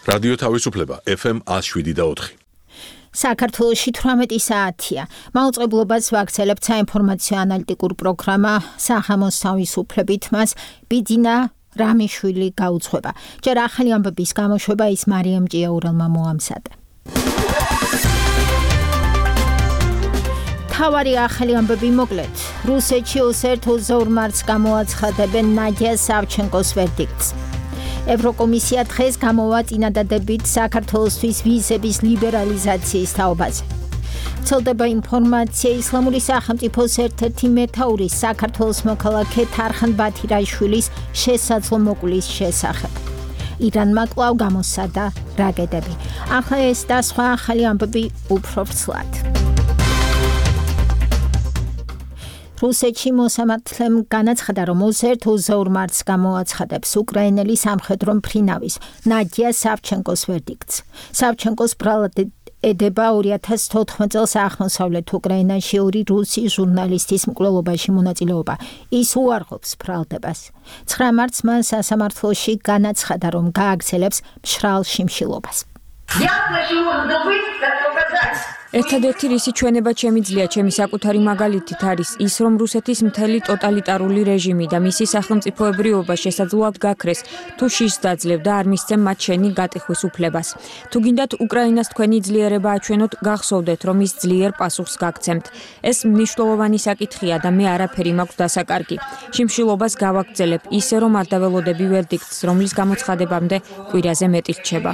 რადიო თავისუფლება FM 107.4. საქართველოში 18 საათია. მაუწყებლობას ვაგრძელებთ საინფორმაციო ანალიტიკურ პროგრამა სახამოს თავისუფლებით მას ბიძინა რამიშვილი გაუძღვება. ჯერ ახალი ამბების გამოშვება ის მარიამ ჭიაურელმა მოამზადა. თავარი ახალი ამბები მოკლედ. რუსეთში 22 მარტს გამოაცხადებენ ნადია სავჩენკოს ვერდიქტს. ევროკომისია დღეს გამოვა წინადადებით საქართველოსთვის ვიზების ლიბერალიზაციის თაობაზე. ვრცელდება ინფორმაცია ისლამური სახელმწიფოს ერთ-ერთი მეთაურის საქართველოს მოქალაქე თარხან ბათირაშვილის შესაძლო მოკვლის შესახებ. ირანმა კვლავ გამოსცადა რაკეტები. ახლა ეს და სხვა ახალი ამბები უფრო ვრცლად. რუსეთში მოსამართლემ განაცხადა, რომ 22 მარტს გამოაცხადებს უკრაინელი სამხედრო მფრინავის ნადია სავჩენკოს ვერდიქტს. სავჩენკოს ბრალად ედება 2014 წელს აღმოსავლეთ უკრაინაში ორი რუსი ჟურნალისტის მკვლელობაში მონაწილეობა. ის უარყოფს ბრალდებას. 9 მარტს მან სასამართლოში განაცხადა, რომ გააგრძელებს მშრალ შიმშილობას. ერთადერთი რისი ჩვენება შემიძლია ჩემი საკუთარი მაგალითით არის ის, რომ რუსეთის მთელი ტოტალიტარული რეჟიმი და მისი სახელმწიფოებრიობა შესაძლოა გაქრეს, თუ შიშს დაძლევ და არ მისცემ მათ შენი გატიხვის უფლებას. თუ გინდათ უკრაინას თქვენი ძლიერება აჩვენოთ, გახსოვდეთ, რომ ის ძლიერ პასუხს გაგცემთ. ეს მნიშვნელოვანი საკითხია და მე არაფერი მაქვს დასაკარგი. შიმშილობას გავაგრძელებ ისე, რომ არ დაველოდები ვერდიქტს, რომლის გამოცხადებამდე კვირაზე მეტი რჩება.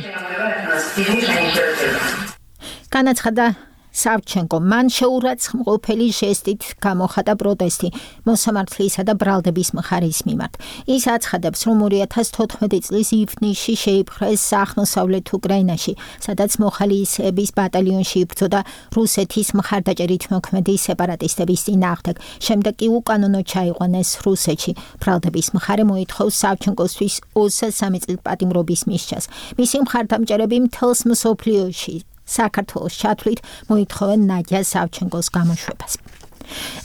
განაცხადა სავჩენკო. მან შეურაცხმყოფელი ჟესტით გამოხატა პროტესტი მოსამართლისა და ბრალდების მხარის მიმართ. ის აცხადებს, რომ 2014 წლის ივნისში შეიპყრეს აღმოსავლეთ უკრაინაში, სადაც მოხალისეების ბატალიონში იბრძოდა რუსეთის მხარდაჭერით მოქმედი სეპარატისტების წინააღმდეგ. შემდეგ კი უკანონო ჩაიყვანეს რუსეთში. ბრალდების მხარე მოითხოვს სავჩენკოსთვის 23 წლის პატიმრობის მისჯას. მისი მხარდამჭერები მთელს მსოფლიოში საქართველოს ჩათვლით მოითხოვენ ნადია სავჩენკოს გამოშვებას.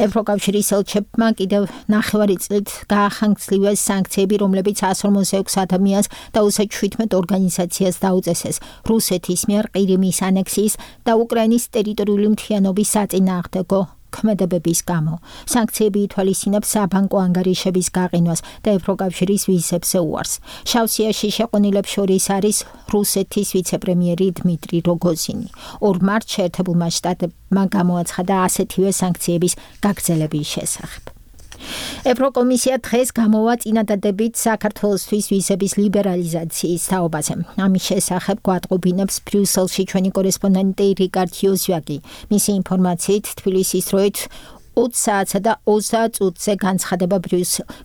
ევროკავშირის ელჩებმა კიდევ 9 წლით გაახანგცლივეს სანქციები, რომლებიც 146 ადამიანს და 17 ორგანიზაციას დაუწესეს რუსეთის მიერ ყირიმის ანექსიის და უკრაინის ტერიტორიული მთლიანობის საწინააღმდეგო ქმედებების გამო. სანქციები ითვალისწინებს საბანკო ანგარიშების გაყინვას და ევროკავშირის ვიზებზე უარს. შავსიაში შეყვანილებს შორის არის რუსეთის ვიცე-პრემიერი დმიტრი როგოზინი. 2 მარტს შეერთებულმა შტატებმა გამოაცხადა ასეთივე სანქციების გაგრძელების შესახებ. ევროკომისია დღეს გამოვა წინადადებით საქართველოსთვის ვიზების ლიბერალიზაციის თაობაზე. ამის შესახებ გვატყობინებს ბრიუსელში ჩვენი კორესპონდენტი რიკარდ იოზვაკი. მისი ინფორმაციით თბილისის დროით 20 საათსა და 30 წუთზე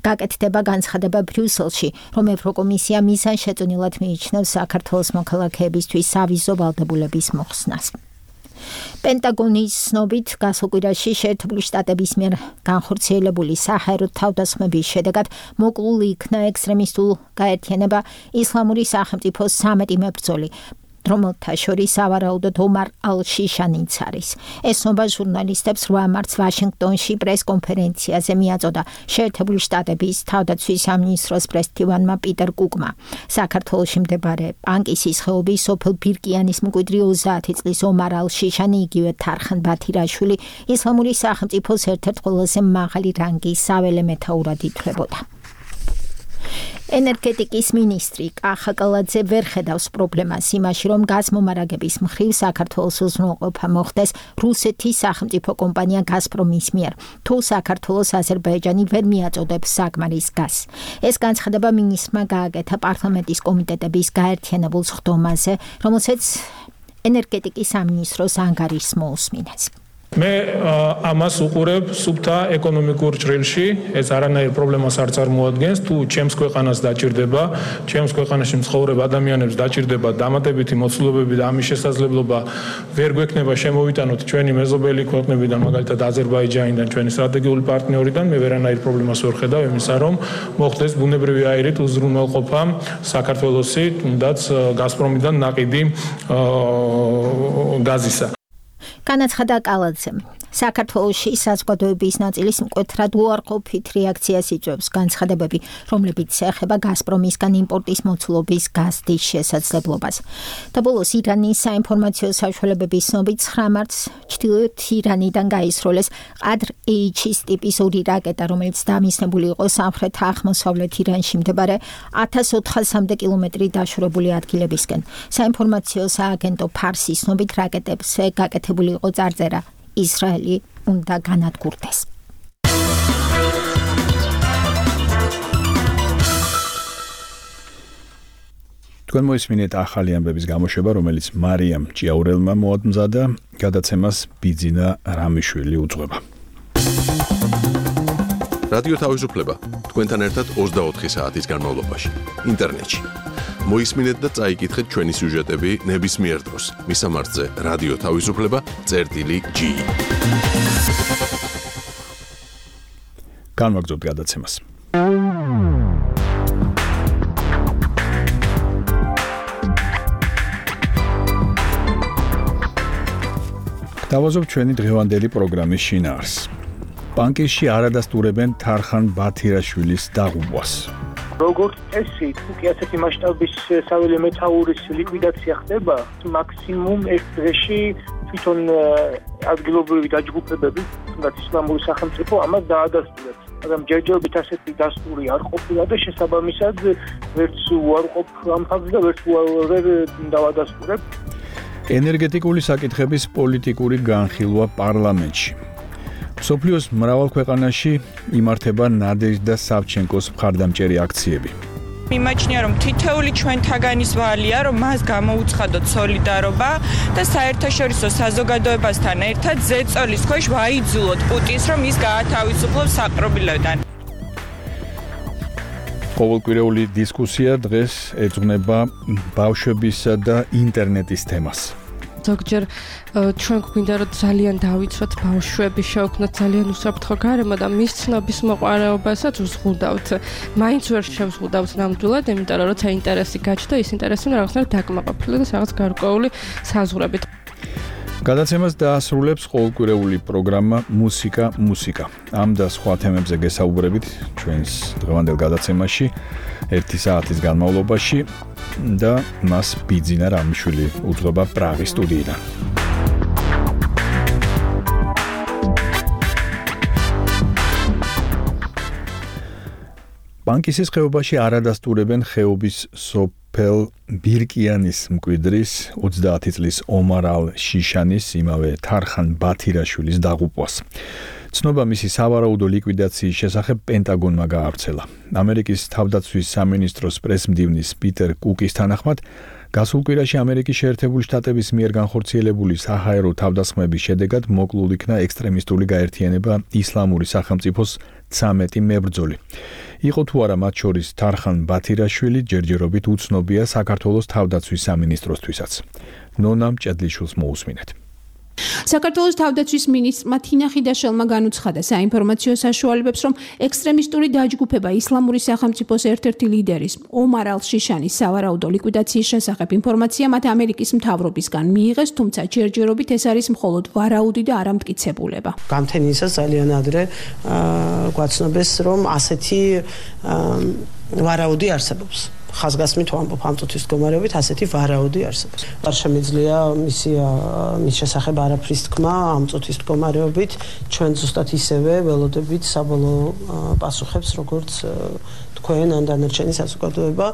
გაკეთდება განცხადება ბრიუსელში, რომ ევროკომისია მიზანშეწონილად მიიჩნევს საქართველოს მოქალაქეებისთვის სავიზო ვალდებულების მოხსნას. პენტაგონის ცნობით გასულ კვირაში შეერთებული შტატების მიერ განხორციელებული საჰაერო თავდასხმების შედეგად მოკლული იქნა ექსტრემისტულ გაერთიანება ისლამური სახელმწიფოს 13 მებრძოლი, რომელთა შორის სავარაუდოდ ომარ ალ-შიშანიც არის. ეს ნობა ჟურნალისტებს 8 მარტს ვაშინგტონში პრეს-კონფერენციაზე მიაწოდა შეერთებული შტატების თავდაცვის სამინისტროს პრესდივანმა პიტერ კუკმა. საქართველოში მდებარე პანკისის ხეობის სოფელ ბირკიანის მკვიდრი 30 წლის ომარ ალ-შიშანი, იგივე თარხან ბათირაშვილი ისლამური სახელმწიფოს ერთ-ერთ ყველაზე მაღალი რანგის საველე მეთაურად ითვლებოდა. ენერგეტიკის მინისტრი კახა კალაძე ვერ ხედავს პრობლემას იმაში, რომ გაზმომარაგების მხრივ საქართველოს უზრუნველყოფა მოხდეს რუსეთის სახელმწიფო კომპანია გაზპრომის მიერ, თუ საქართველოს აზერბაიჯანი ვერ მიაწოდებს საკმარის გაზს. ეს განცხადება მინისტრმა გააკეთა პარლამენტის კომიტეტების გაერთიანებულ სხდომაზე, რომელსაც ენერგეტიკის სამინისტროს ანგარიშს მოусმინეს. მე ამას უყურებ სუფთა ეკონომიკურ ჭრილში, ეს არანაირ პრობლემას არ წარმოადგენს, თუ ჩემს ქვეყანას დაჭირდება, ჩემს ქვეყანაში მცხოვრებ ადამიანებს დაჭირდება დამატებითი მოცულობები და ამის შესაძლებლობა ვერ გვექნება შემოვიტანოთ ჩვენი მეზობელი ქვეყნებიდან, მაგალითად აზერბაიჯანიდან, ჩვენი სტრატეგიული პარტნიორიდან, მე ვერანაირ პრობლემას ვერ ხედავ იმისა, რომ მოხდეს ბუნებრივი აირით უზრუნველყოფა საქართველოსი, თუნდაც გაზპრომიდან ნაყიდი გაზისა. განაცხადა კალაძემ. საქართველოში საზოგადოების ნაწილის მკვეთრად უარყოფით რეაქციას იწვევს განცხადებები, რომლებიც ეხება გაზპრომისგან იმპორტის მოცულობის გაზდის შესაძლებლობას. და ბოლოს ირანის საინფორმაციო საშუალებების ცნობით 9 მარტს ჩრდილოეთ ირანიდან გაისროლეს ყადრ-H-ის ტიპის 2 რაკეტა, რომელიც დამისნებული იყო სამხრეთ აღმოსავლეთ ირანში მდებარე 1400-მდე კილომეტრი დაშორებული ადგილებისკენ. საინფორმაციო სააგენტო ფარსის ცნობით რაკეტებზე გაკეთებული იყო წარწერა ისრაელი უნდა განადგურდეს. თქვენ მოისმინეთ ახალი ამბების გამოშვება, რომელიც მარიამ ჭიაურელმა მოადმზადა, გადაცემას ბიძინა რამიშვილი უძღვება. რადიო თავისუფლება თქვენთან ერთად 24 საათის განმავლობაში ინტერნეტში. მოისმინეთ და წაიკითხეთ ჩვენი სიუჟეტები ნებისმიერ დროს. მისამართზე რადიო თავისუფლება.gi. განვაგრძობთ გადაცემას. დავაზობ ჩვენი დღევანდელი პროგრამის შინაარს. ბანკში არადასტურებენ თარხან ბათირაშვილის დაღუპვას. როგორც წესი, თუკი ასეთი მასშტაბის საველე მეთაურის ლიკვიდაცია ხდება, მაქსიმუმ ერთ დღეში თვითონ ადგილობრივი დაჯგუფებები, თუნდაც ისლამური სახელმწიფო ამას დაადასტურებს. მაგრამ ჯერჯერობით ასეთი დასტური არ ყოფილა და შესაბამისად ვერც უარყოფ ამ ფაქტს და ვერც ვერ დავადასტურებ. ენერგეტიკული საკითხების პოლიტიკური განხილვა პარლამენტში. სოფლიოს მრავალ ქვეყანაში იმართება ნადეჟდა სავჩენკოს მხარდამჭერი აქციები. მიმაჩნია, რომ თითოეული ჩვენთაგანის ვალია, რომ მას გამოუცხადოთ სოლიდარობა და საერთაშორისო საზოგადოებასთან ერთად ზეწოლის ქვეშ ვაიძულოთ პუტინს, რომ ის გაათავისუფლოს საპყრობილედან. ყოველკვირეული დისკუსია დღეს ეძღვნება ბავშვებისა და ინტერნეტის თემას. ზოგჯერ ჩვენ გვინდა რომ ძალიან დავიცვათ ბავშვები შევქმნათ ძალიან უსაფრთხო გარემო და მის ცნობის მოყვარეობასაც უზღუდავთ. მაინც ვერ შევზღუდავთ ნამდვილად, იმიტომ რომ როცა ინტერესი გაჩნდა, ის ინტერესი რაღაცნაირად დაკმაყოფილდა და რაღაც გარკვეული საზღვრებით. გადაცემას დაასრულებს ყოველკვირეული პროგრამა მუსიკა. ამ და სხვა თემებზე გესაუბრებით ჩვენს დღევანდელ გადაცემაში 1 საათის განმავლობაში და მას ბიძინა რამიშვილი უძღვება პრაღის სტუდიიდან. ბანკისის ხეობაში არადასტურებენ ხეობის სოფელ ბირკიანის მკვიდრის 30 წლის ომარალ შიშანის იმავე თარხან ბათირაშვილის დაღუპვას. ცნობა მისი სავარაუდო ლიკვიდაციის შესახებ პენტაგონმა გაავრცელა. ამერიკის თავდაცვის სამინისტროს პრესმდივნის პიტერ კუკის თანახმად, გასულ კვირაში ამერიკის შეერთებული შტატების მიერ განხორციელებული საჰაერო თავდასხმების შედეგად მოკლულ იქნა ექსტრემისტული გაერთიანება ისლამური სახელმწიფოს 13 მებრძოლი. იყო თუ არა მათ შორის თარხან ბათირაშვილი, ჯერჯერობით უცნობია საქართველოს თავდაცვის სამინისტროსთვისაც. ნონა მჭედლიშვილს მოусმინეთ. საქართველოს თავდაცვის მინისტრმა თინა ხიდაშელმა განუცხადა საინფორმაციო საშუალებებს, რომ ექსტრემისტული დაჯგუფება ისლამური სახელმწიფოს ერთ-ერთი ლიდერის ომარ ალ-შიშანის სავარაუდო ლიკვიდაციის შესახებ ინფორმაცია მათ ამერიკის მთავრობისგან მიიღეს, თუმცა ჯერჯერობით ეს არის მხოლოდ ვარაუდი და არა მტკიცებულება. გამთენიისას ძალიან ადრე გვაცნობეს, რომ ასეთი ვარაუდი არსებობს. ხაზგასმით ვამბობ ამ წუთის მდგომარეობით ასეთი ვარაუდი არსებობს. არ შემიძლია მის შესახებ არაფრის თქმა ამ წუთის მდგომარეობით, ჩვენ ზუსტად ისევე ველოდებით საბოლოო პასუხებს, როგორც თქვენ ან დანარჩენი საზოგადოება.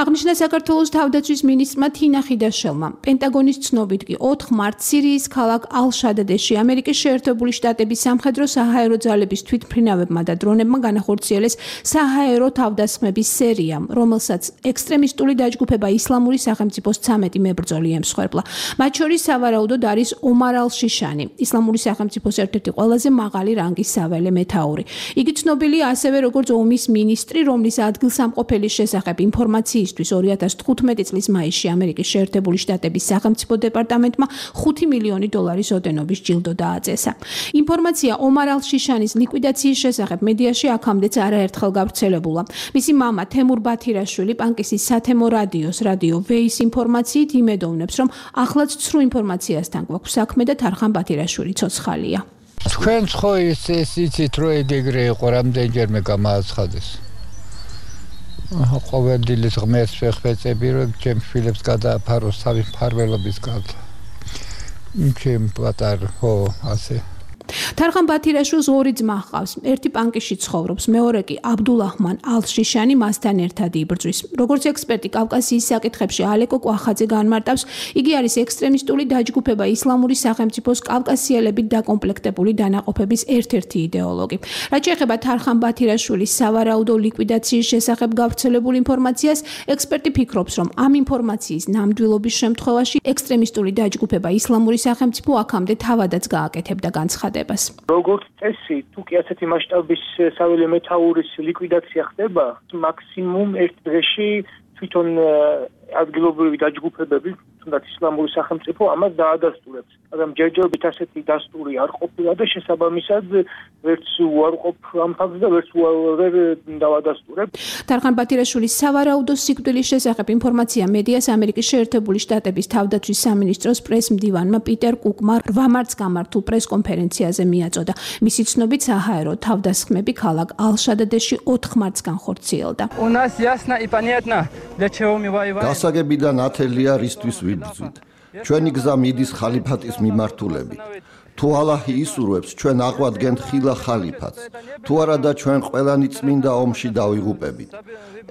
აღნიშნა საქართველოს თავდაცვის მინისტრმა თინა ხიდაშელმა. პენტაგონის ცნობით კი 4 მარტს სირიის ქალაქ ალ-შადადეში ამერიკის შეერთებული შტატების სამხედრო საჰაერო ძალების თვითმფრინავებმა და დრონებმა განახორციელეს საჰაერო თავდასხმების სერია, რომელსაც ექსტრემისტული დაჯგუფება ისლამური სახელმწიფოს 13 მებრძოლი ემსხვერპლა. მათ შორის სავარაუდოდ არის ომარ ალ-შიშანი, ისლამური სახელმწიფოს ერთ-ერთი ყველაზე მაღალი რანგის საველე მეთაური. იგი ცნობილია ასევე როგორც ომის მინისტრი, რომლის ადგილსამყოფელის შესახებ ინფორმაციისთვის 2015 წლის მაისში ამერიკის შეერთებული შტატების სახელმწიფო დეპარტამენტმა $5 მილიონი ოდენობის ჯილდო დააწესა. ინფორმაცია ომარ ალ-შიშანის ლიკვიდაციის შესახებ მედიაში აქამდეც არაერთხელ გავრცელებულა. მისი მამა თემურ ბათირაშვილი პანკისის სათემო რადიოს რადიო ვეის ინფორმაციით იმედოვნებს, რომ ახლაც ცრუ ინფორმაციასთან გვაქვს საქმე და თარხან ბათირაშვილი ცოცხალია. თქვენ ხო იცით რომ ეგრე იყო რამდენჯერმე გამააცხადეს ყოველდღილის ღმერთს ვეხვეწები რომ ჩემ შვილებს გადააფაროს თავის მფარველობის გარდა ჩემ პატარ ხო ასე თარხან ბათირაშვილს ორი ძმა ჰყავს. ერთი პანკიში ცხოვრობს, მეორე კი აბდულაჰმან ალ-შიშანი მასთან ერთად იბრძვის. როგორც ექსპერტი კავკასიის საკითხებში ალეკო კვახაძე განმარტავს, იგი არის ექსტრემისტული დაჯგუფება ისლამური სახელმწიფოს კავკასიელებით დაკომპლექტებული დანაყოფების ერთ-ერთი იდეოლოგი. რაც შეეხება თარხან ბათირაშვილის სავარაუდო ლიკვიდაციის შესახებ გავრცელებულ ინფორმაციას, ექსპერტი ფიქრობს, რომ ამ ინფორმაციის ნამდვილობის შემთხვევაში ექსტრემისტული დაჯგუფება ისლამური სახელმწიფო აქამდე თავადაც გააკეთებდა განცხადებას. როგორც წესი, თუ კი ასეთი მასშტაბის საველე მეთაურის ლიკვიდაცია ხდება, მაქსიმუმ ერთ დღეში თვითონ ადგილობრივი დაჯგუფებები, თუნდაც ისლამური სახელმწიფო ამას დაადასტურებს. მაგრამ ჯერჯერობით ასეთი დასტური არ ყოფილა და შესაბამისად ვერც უარყოფ ამ ფაქტს და ვერც ვერ დავადასტურებ. თარხან ბათირაშვილის სავარაუდო სიკვდილის შესახებ ინფორმაცია მედიას ამერიკის შეერთებული შტატების თავდაცვის სამინისტროს პრეს-მდივანმა პიტერ კუკმა 8 მარტს გამართულ პრეს-კონფერენციაზე მიაწოდა. მისი ცნობით საჰაერო თავდასხმები ქალაქ ალ-შადადეში 4 მარტს განხორციელდა. გასაგებიდან ათელია რისთვის ვიბრძვით. ჩვენი გზა მიდის ხალიფატის მიმართულებით. თუ ალაჰი ისურვებს, ჩვენ აღვადგენთ ხილა ხალიფატს. თუ არა და ჩვენ ყველანი წმინდა ომში დავიღუპებით.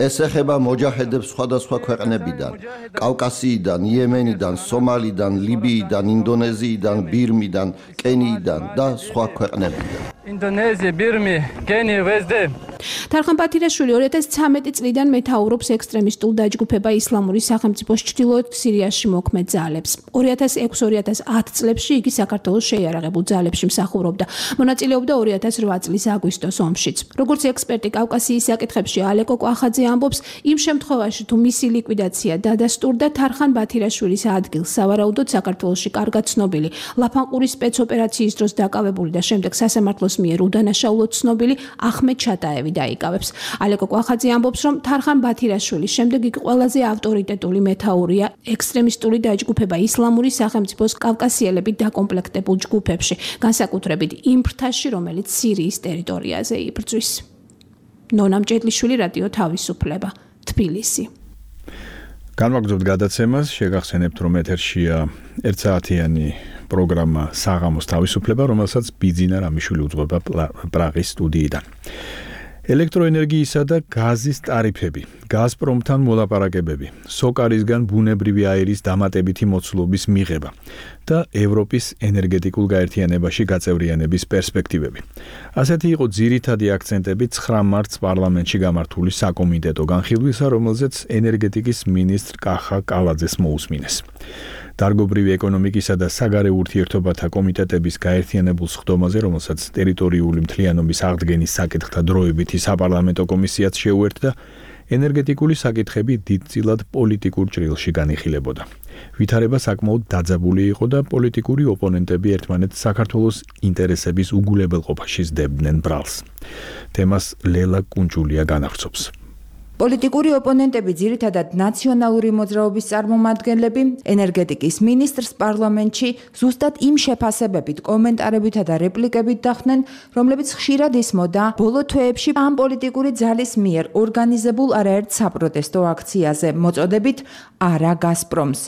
ეს ეხება მოჯაჰედებს სხვადასხვა ქვეყნებიდან, კავკასიიდან, იემენიდან, სომალიდან, ლიბიიდან, ინდონეზიიდან, ბირმიდან, კენიიდან და სხვა ქვეყნებიდან. ინდონეზია, ბირმი, კენია, ვეზდე. თარხან ბათირაშვილი 2013 წლიდან მეთაურობს ექსტრემისტულ დაჯგუფება ისლამური სახელმწიფოს ჩრდილოეთ სირიაში მოქმედ ძალებს. 2006-2010 წლებში იგი საქართველოს შეიარაღებულ ძალებში მსახურობდა. მონაწილეობდა 2008 წლის აგვისტოს ომშიც. როგორც ექსპერტი კავკასიის საკითხებში ალეკო კვახაძე ამბობს, იმ შემთხვევაში თუ მისი ლიკვიდაცია დადასტურდა, თარხან ბათირაშვილის ადგილს სავარაუდოდ საქართველოში კარგად ცნობილი ლაფანყურის სპეცოპერაციის დროს დაკავებული და შემდეგ სასამართლოს მიერ უდანაშაულოდ ცნობილი ახმედ ჩატაევი დაიკავებს. ალეკო კვახაძე ამბობს, რომ თარხან ბათირაშვილის შემდეგ იგი ყველაზე ავტორიტეტული მეთაურია ექსტრემისტული დაჯგუფება ისლამური სახელმწიფოს კავკასიელებით დაკომპლექტებულ ჯგუფებში, განსაკუთრებით იმ ფრთაში, რომელიც სირიის ტერიტორიაზე იბრძვის. ნონა მჭედლიშვილი, რადიო თავისუფლება, თბილისი. განვაგრძობთ გადაცემას, შეგახსენებთ, რომ ეთერშია 1 საათიანი პროგრამა საღამოს თავისუფლება, რომელსაც ბიძინა რამიშვილი უძღვება პრაღის სტუდიიდან. ელექტროენერგიისა და გაზის ტარიფები, გაზპრომთან მოლაპარაკებები, სოკარისგან ბუნებრივი აირის დამატებითი მოცულობის მიღება და ევროპის ენერგეტიკულ გაერთიანებაში გაწევრიანების პერსპექტივები. ასეთი იყო ძირითადი აქცენტები 9 მარტს პარლამენტში გამართული საკომიტეტო განხილვისა, რომელზეც ენერგეტიკის მინისტრ კახა კალაძეს მოусმინეს. დარგობრივი ეკონომიკისა და საგარეო ურთიერთობათა კომიტეტების გაერთიანებულ სხდომაზე, რომელსაც ტერიტორიული მთლიანობის აღდგენის საკითხთა დროებითი საპარლამენტო კომისიაც შეუერთდა, ენერგეტიკული საკითხები დიდწილად პოლიტიკურ ჭრილში განიხილებოდა. ვითარება საკმაოდ დაძაბული იყო და პოლიტიკური ოპონენტები ერთმანეთს საქართველოს ინტერესების უგულებელყოფაში სდებდნენ ბრალს. თემას ლელა კუნჭულია განავრცობს. პოლიტიკური ოპონენტები ძირითადად ნაციონალური მოძრაობის წარმომადგენლები ენერგეტიკის მინისტრს პარლამენტში ზუსტად იმ შეფასებებით, კომენტარებითა და რეპლიკებით დახვდნენ, რომლებიც ხშირად ისმოდა ბოლო თვეებში ამ პოლიტიკური ძალის მიერ ორგანიზებულ არაერთ საპროტესტო აქციაზე მოწოდებით არა გაზპრომს.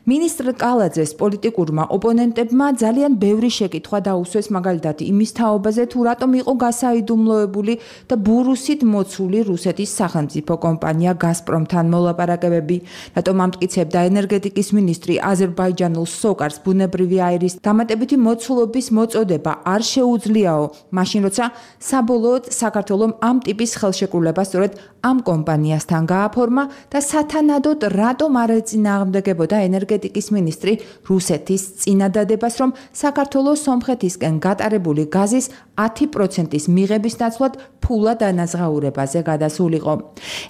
მინისტრ კალაძეს პოლიტიკურმა ოპონენტებმა ძალიან ბევრი შეკითხვა დაუსვეს, მაგალითად იმის თაობაზე, თუ რატომ იყო გასაიდუმლოებული და ბურუსით მოცული რუსეთის სახელმწიფო კომპანია გაზპრომთან მოლაპარაკებები, რატომ ამტკიცებდა ენერგეტიკის მინისტრი აზერბაიჯანულ სოკარს ბუნებრივი აირის დამატებითი მოცულობის მოწოდება არ შეუძლიაო, მაშინ როცა საბოლოოდ საქართველომ ამ ტიპის ხელშეკრულება სწორედ ამ კომპანიასთან გააფორმა და სათანადოდ რატომ არ ეწინააღმდეგებოდა ენერგეტიკის მინისტრი რუსეთის წინადადებას, რომ საქართველოს სომხეთისკენ გატარებული გაზის 10%-ის მიღების ნაცვლად ფულა დანაზღაურებაზე გადასულიყო.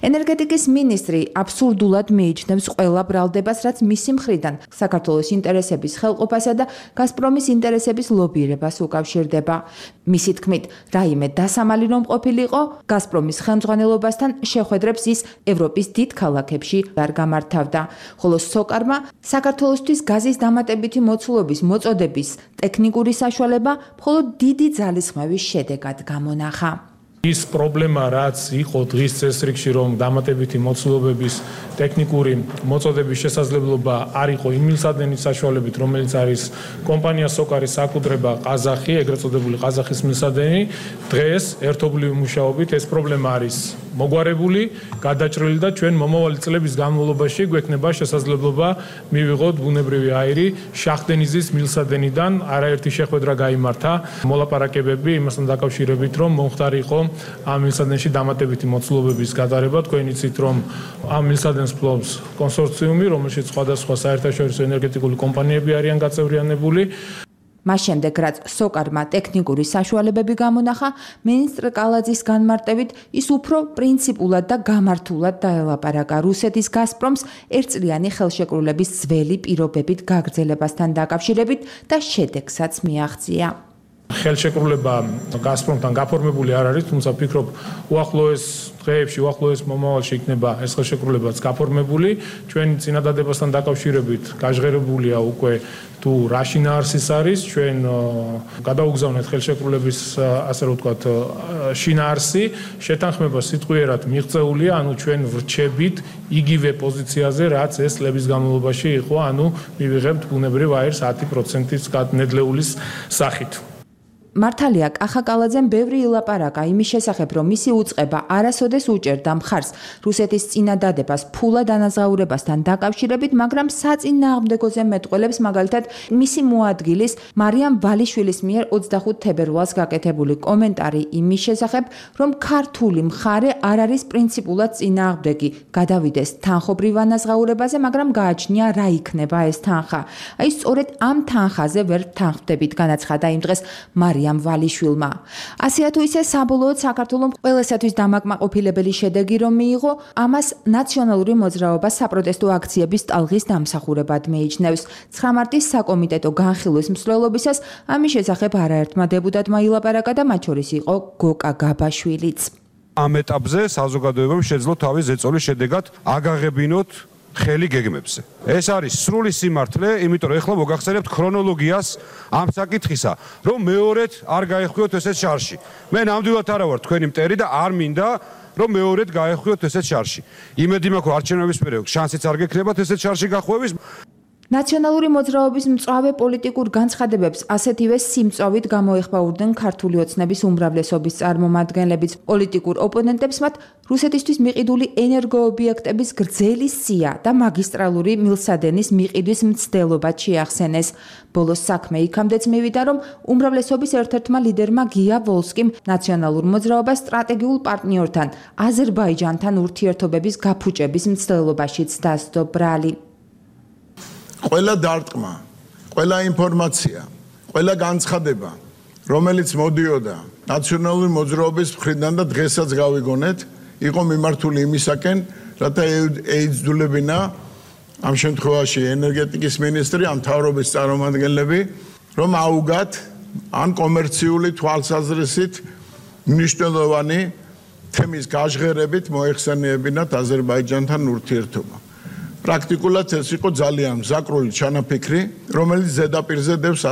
ენერგეტიკის მინისტრი აბსურდულად მიიჩნევს ყველა ბრალდებას, რაც მისი მხრიდან საქართველოს ინტერესების ხელყოფასა და გაზპრომის ინტერესების ლობირებას უკავშირდება. მისი თქმით, რაიმე დასამალი რომ ყოფილიყო, გაზპრომის ხელმძღვანელობასთან შეხვედრებს ის ევროპის დიდ ქალაქებში არ გამართავდა, ხოლო სოკარმა საქართველოსთვის გაზის დამატებითი მოცულობის მოწოდების ტექნიკური საშუალება მხოლოდ დიდი ძალისხმევის შედეგად გამონახა. ის პრობლემა რაც იყო დღის წესრიგში რომ დამატებითი მოცულობების ტექნიკური მოწოდების შესაძლებლობა არ იყო იმ მილსადენის საშუალებით რომელიც არის კომპანია სოკარის საკუთრება ყაზახი ეგრეთ წოდებული ყაზახის მილსადენი დღეს ერთობლივი მუშაობით ეს პრობლემა არის მოგვარებული გადაჭრილი და ჩვენ მომავალი წლების განმავლობაში გვექნება შესაძლებლობა მივიღოთ ბუნებრივი აირი შახდენიზის მილსადენიდან არაერთი შეხვედრა გაიმართა მოლაპარაკებები იმასთან დაკავშირებით რომ მომხდარი იყო ამ მილსადენში დამატებითი მოცულობების გატარება თქვენ იცით რომ ამ მილსადენს ფლობს კონსორციუმი რომელშიც სხვადასხვა საერთაშორისო ენერგეტიკული კომპანიები არიან გაწევრიანებული მას შემდეგ რაც სოკარმა ტექნიკური საშუალებები გამონახა მინისტრ კალაძის განმარტებით ის უფრო პრინციპულად და გამართულად დაელაპარაკა რუსეთის გაზპრომს ერთწლიანი ხელშეკრულების ძველი პირობებით გაგრძელებასთან დაკავშირებით და შედეგსაც მიაღწია ხელშეკრულება გაზპრომთან გაფორმებული არ არის, თუმცა ვფიქრობ, უახლოეს დღეებში, უახლოეს მომავალში იქნება ეს ხელშეკრულებაც გაფორმებული. ჩვენი წინადადებასთან დაკავშირებით გაჟღერებულია უკვე თუ რა შინაარსის არის, ჩვენ გადაუგზავნეთ ხელშეკრულების, ასე რომ ვთქვათ, შინაარსი, შეთანხმება სიტყვიერად მიღწეულია, ანუ ჩვენ ვრჩებით იგივე პოზიციაზე, რაც ეს წლების განმავლობაში იყო, ანუ მივიღებთ ბუნებრივ აირს 10%-ის ნედლეულის სახით. მართალია კახა კალაძემ ბევრი ილაპარაკა იმის შესახებ, რომ მისი უწყება არასოდეს უჭერდა მხარს რუსეთის წინადადებას ფულად ანაზღაურებასთან დაკავშირებით, მაგრამ საწინააღმდეგოზე მეტყველებს მაგალითად მისი მოადგილის მარიამ ვალიშვილის მიერ 25 თებერვალს გაკეთებული კომენტარი იმის შესახებ, რომ ქართული მხარე არ არის პრინციპულად წინააღმდეგი, გადავიდეს თანხობრივ ანაზღაურებაზე, მაგრამ გააჩნია რა იქნება ეს თანხა. აი სწორედ ამ თანხაზე ვერ თანხმდებით, განაცხადა იმ დღეს მარიამ ვალიშვილმა. ასეა თუ ისე საბოლოოდ საქართველოს ყველასათვის დამაკმაყოფილებელი შედეგი რომ მიიღო, ამას ნაციონალური მოძრაობა საპროტესტო აქციების ტალღის დამსახურებად მიიჩნევს. 9 მარტის საკომიტეტო განხილვის მსვლელობისას ამის შესახებ არაერთმა დეპუტატმა ილაპარაკა და მათ შორის იყო გოკა გაბაშვილიც. ამ ეტაპზე საზოგადოებამ შეძლო თავის ზეწოლის შედეგად აგაღებინოთ ხელი გეგმებზე. ეს არის სრული სიმართლე, იმიტომ რომ ეხლა მოგახსენებთ ქრონოლოგიას ამ საკითხისა, რომ მეორედ არ გაეხვიოთ ესეთ შარში. მე ნამდვილად არა ვარ თქვენი მტერი და არ მინდა რომ მეორედ გაეხვიოთ ესეთ შარში. იმედი მაქვს, რომ არჩევნების პერიოდში შანსიც არ გექნებათ ესეთ შარში გახვევის. ნაციონალური მოძრაობის მწვავე პოლიტიკურ განცხადებებს ასეთივე სიმწვავით გამოეხმაურდნენ ქართული ოცნების უმრავლესობის წარმომადგენლებიც. პოლიტიკურ ოპონენტებს მათ რუსეთისთვის მიყიდული ენერგოობიექტების გრძელი სია და მაგისტრალური მილსადენის მიყიდვის მცდელობა შეახსენეს. ბოლოს საქმე იქამდეც მივიდა, რომ უმრავლესობის ერთ-ერთმა ლიდერმა გია ვოლსკიმ ნაციონალურ მოძრაობას სტრატეგიულ პარტნიორთან აზერბაიჯანთან ურთიერთობების გაფუჭების მცდელობაშიც დასდო ბრალი. ყველა დარტყმა, ყველა ინფორმაცია, ყველა განცხადება, რომელიც მოდიოდა ნაციონალური მოძრაობის მხრიდან და დღესაც გავიგონეთ, იყო მიმართული იმისაკენ, რათა ეიძულებინა ამ შემთხვევაში ენერგეტიკის მინისტრი, ამ მთავრობის წარმომადგენლები, რომ აუგათ ან კომერციული თვალსაზრისით მნიშვნელოვანი თემის გაჟღერებით მოეხსენიებინათ აზერბაიჯანთან ურთიერთობა. პრაქტიკულად ეს იყო ძალიან მზაკრული ჩანაფიქრი, რომელიც ზედაპირზე დევს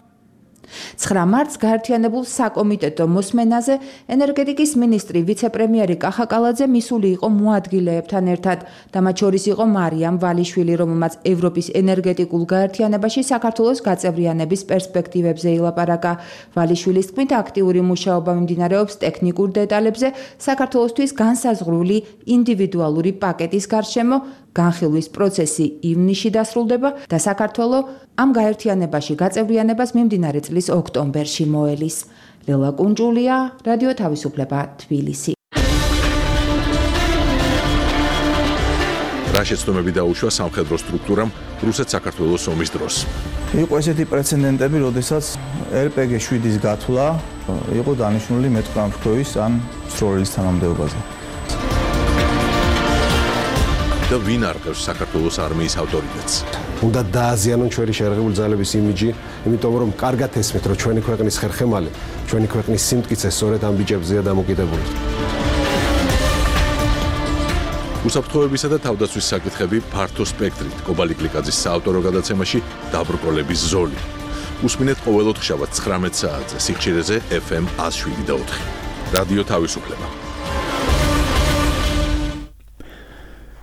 9 მარტს გაერთიანებულ საკომიტეტო მოსმენაზე ენერგეტიკის მინისტრი ვიცე-პრემიერი კახა კალაძე მისული იყო მოადგილეებთან ერთად და მათ შორის იყო მარიამ ვალიშვილი, რომელმაც ევროპის ენერგეტიკულ გაერთიანებაში საქართველოს გაწევრიანების პერსპექტივებზე ილაპარაკა. ვალიშვილის თქმით, აქტიური მუშაობა მიმდინარეობს ტექნიკურ დეტალებზე საქართველოსთვის განსაზღვრული ინდივიდუალური პაკეტის გარშემო. განხილვის პროცესი ივნისში დასრულდება და საქართველო ამ გაერთიანებაში გაწევრიანებას მიმდინარე წლის ოქტომბერში მოელის. ლელა კუნჯულია, რადიო თავისუფლება, თბილისი. რა შეცდომები დაუშვა სამხედრო სტრუქტურამ რუსეთ-საქართველოს ომის დროს? იყო ესეთი პრეცედენტები, როდესაც RPG-7-ის გათვლა იყო დანიშნული მეტყამშქოვის ან სროლის თანამდებობაზე. და ვინ არყევს საქართველოს არმიის ავტორიტეტს? უნდა დააზიანონ ჩვენი შეერაღებული ძალების იმიჯი, იმიტომ რომ კარგად ესმით, რომ ჩვენი ქვეყნის ხერხემალი, ჩვენი ქვეყნის სიმტკიცე სწორედ ამ ბიჭებზეა დამოკიდებული. უსაფრთხოებისა და თავდაცვის საკითხები ფართო სპექტრით კობალი გლიკაძის საავტორო გადაცემაში დაბრკოლების ზოლი. უსმინეთ ყოველ ოთხშაბათს 19 საათზე სიხშირეზე FM 107.4. რადიო თავისუფლება.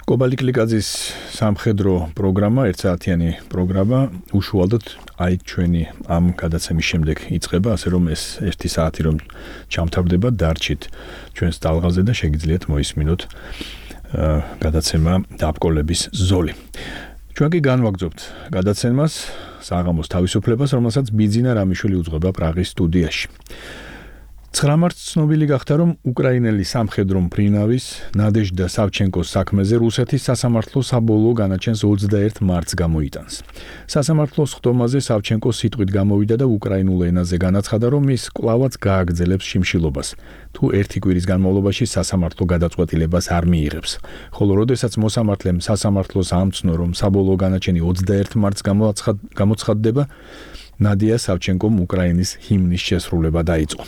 კობალი გლიკაძის სამხედრო პროგრამა, ერთსაათიანი პროგრამა უშუალოდ აი ჩვენი ამ გადაცემის შემდეგ იწყება, ასე რომ ეს 1 საათი რომ ჩამთავრდება, დარჩით ჩვენს ტალღაზე და შეგიძლიათ მოისმინოთ გადაცემა დაბრკოლების ზოლი. ჩვენ კი განვაგრძობთ გადაცემას საღამოს თავისუფლებას, რომელსაც ბიძინა რამიშვილი უძღვება პრაღის სტუდიაში. 9 მარტს ცნობილი გახდა, რომ უკრაინელი სამხედრო მფრინავის ნადეჟდა სავჩენკოს საქმეზე რუსეთის სასამართლო საბოლოო განაჩენს 21 მარტს გამოიტანს. სასამართლოს ხდომაზე სავჩენკო სიტყვით გამოვიდა და უკრაინულ ენაზე განაცხადა, რომ ის კვლავაც გააგრძელებს შიმშილობას, თუ ერთი კვირის განმავლობაში სასამართლო გადაწყვეტილებას არ მიიღებს. ხოლო როდესაც მოსამართლემ სასამართლოს ამცნო, რომ საბოლოო განაჩენი 21 მარტს გამოცხადდება, ნადია სავჩენკომ უკრაინის ჰიმნის შესრულება დაიწყო.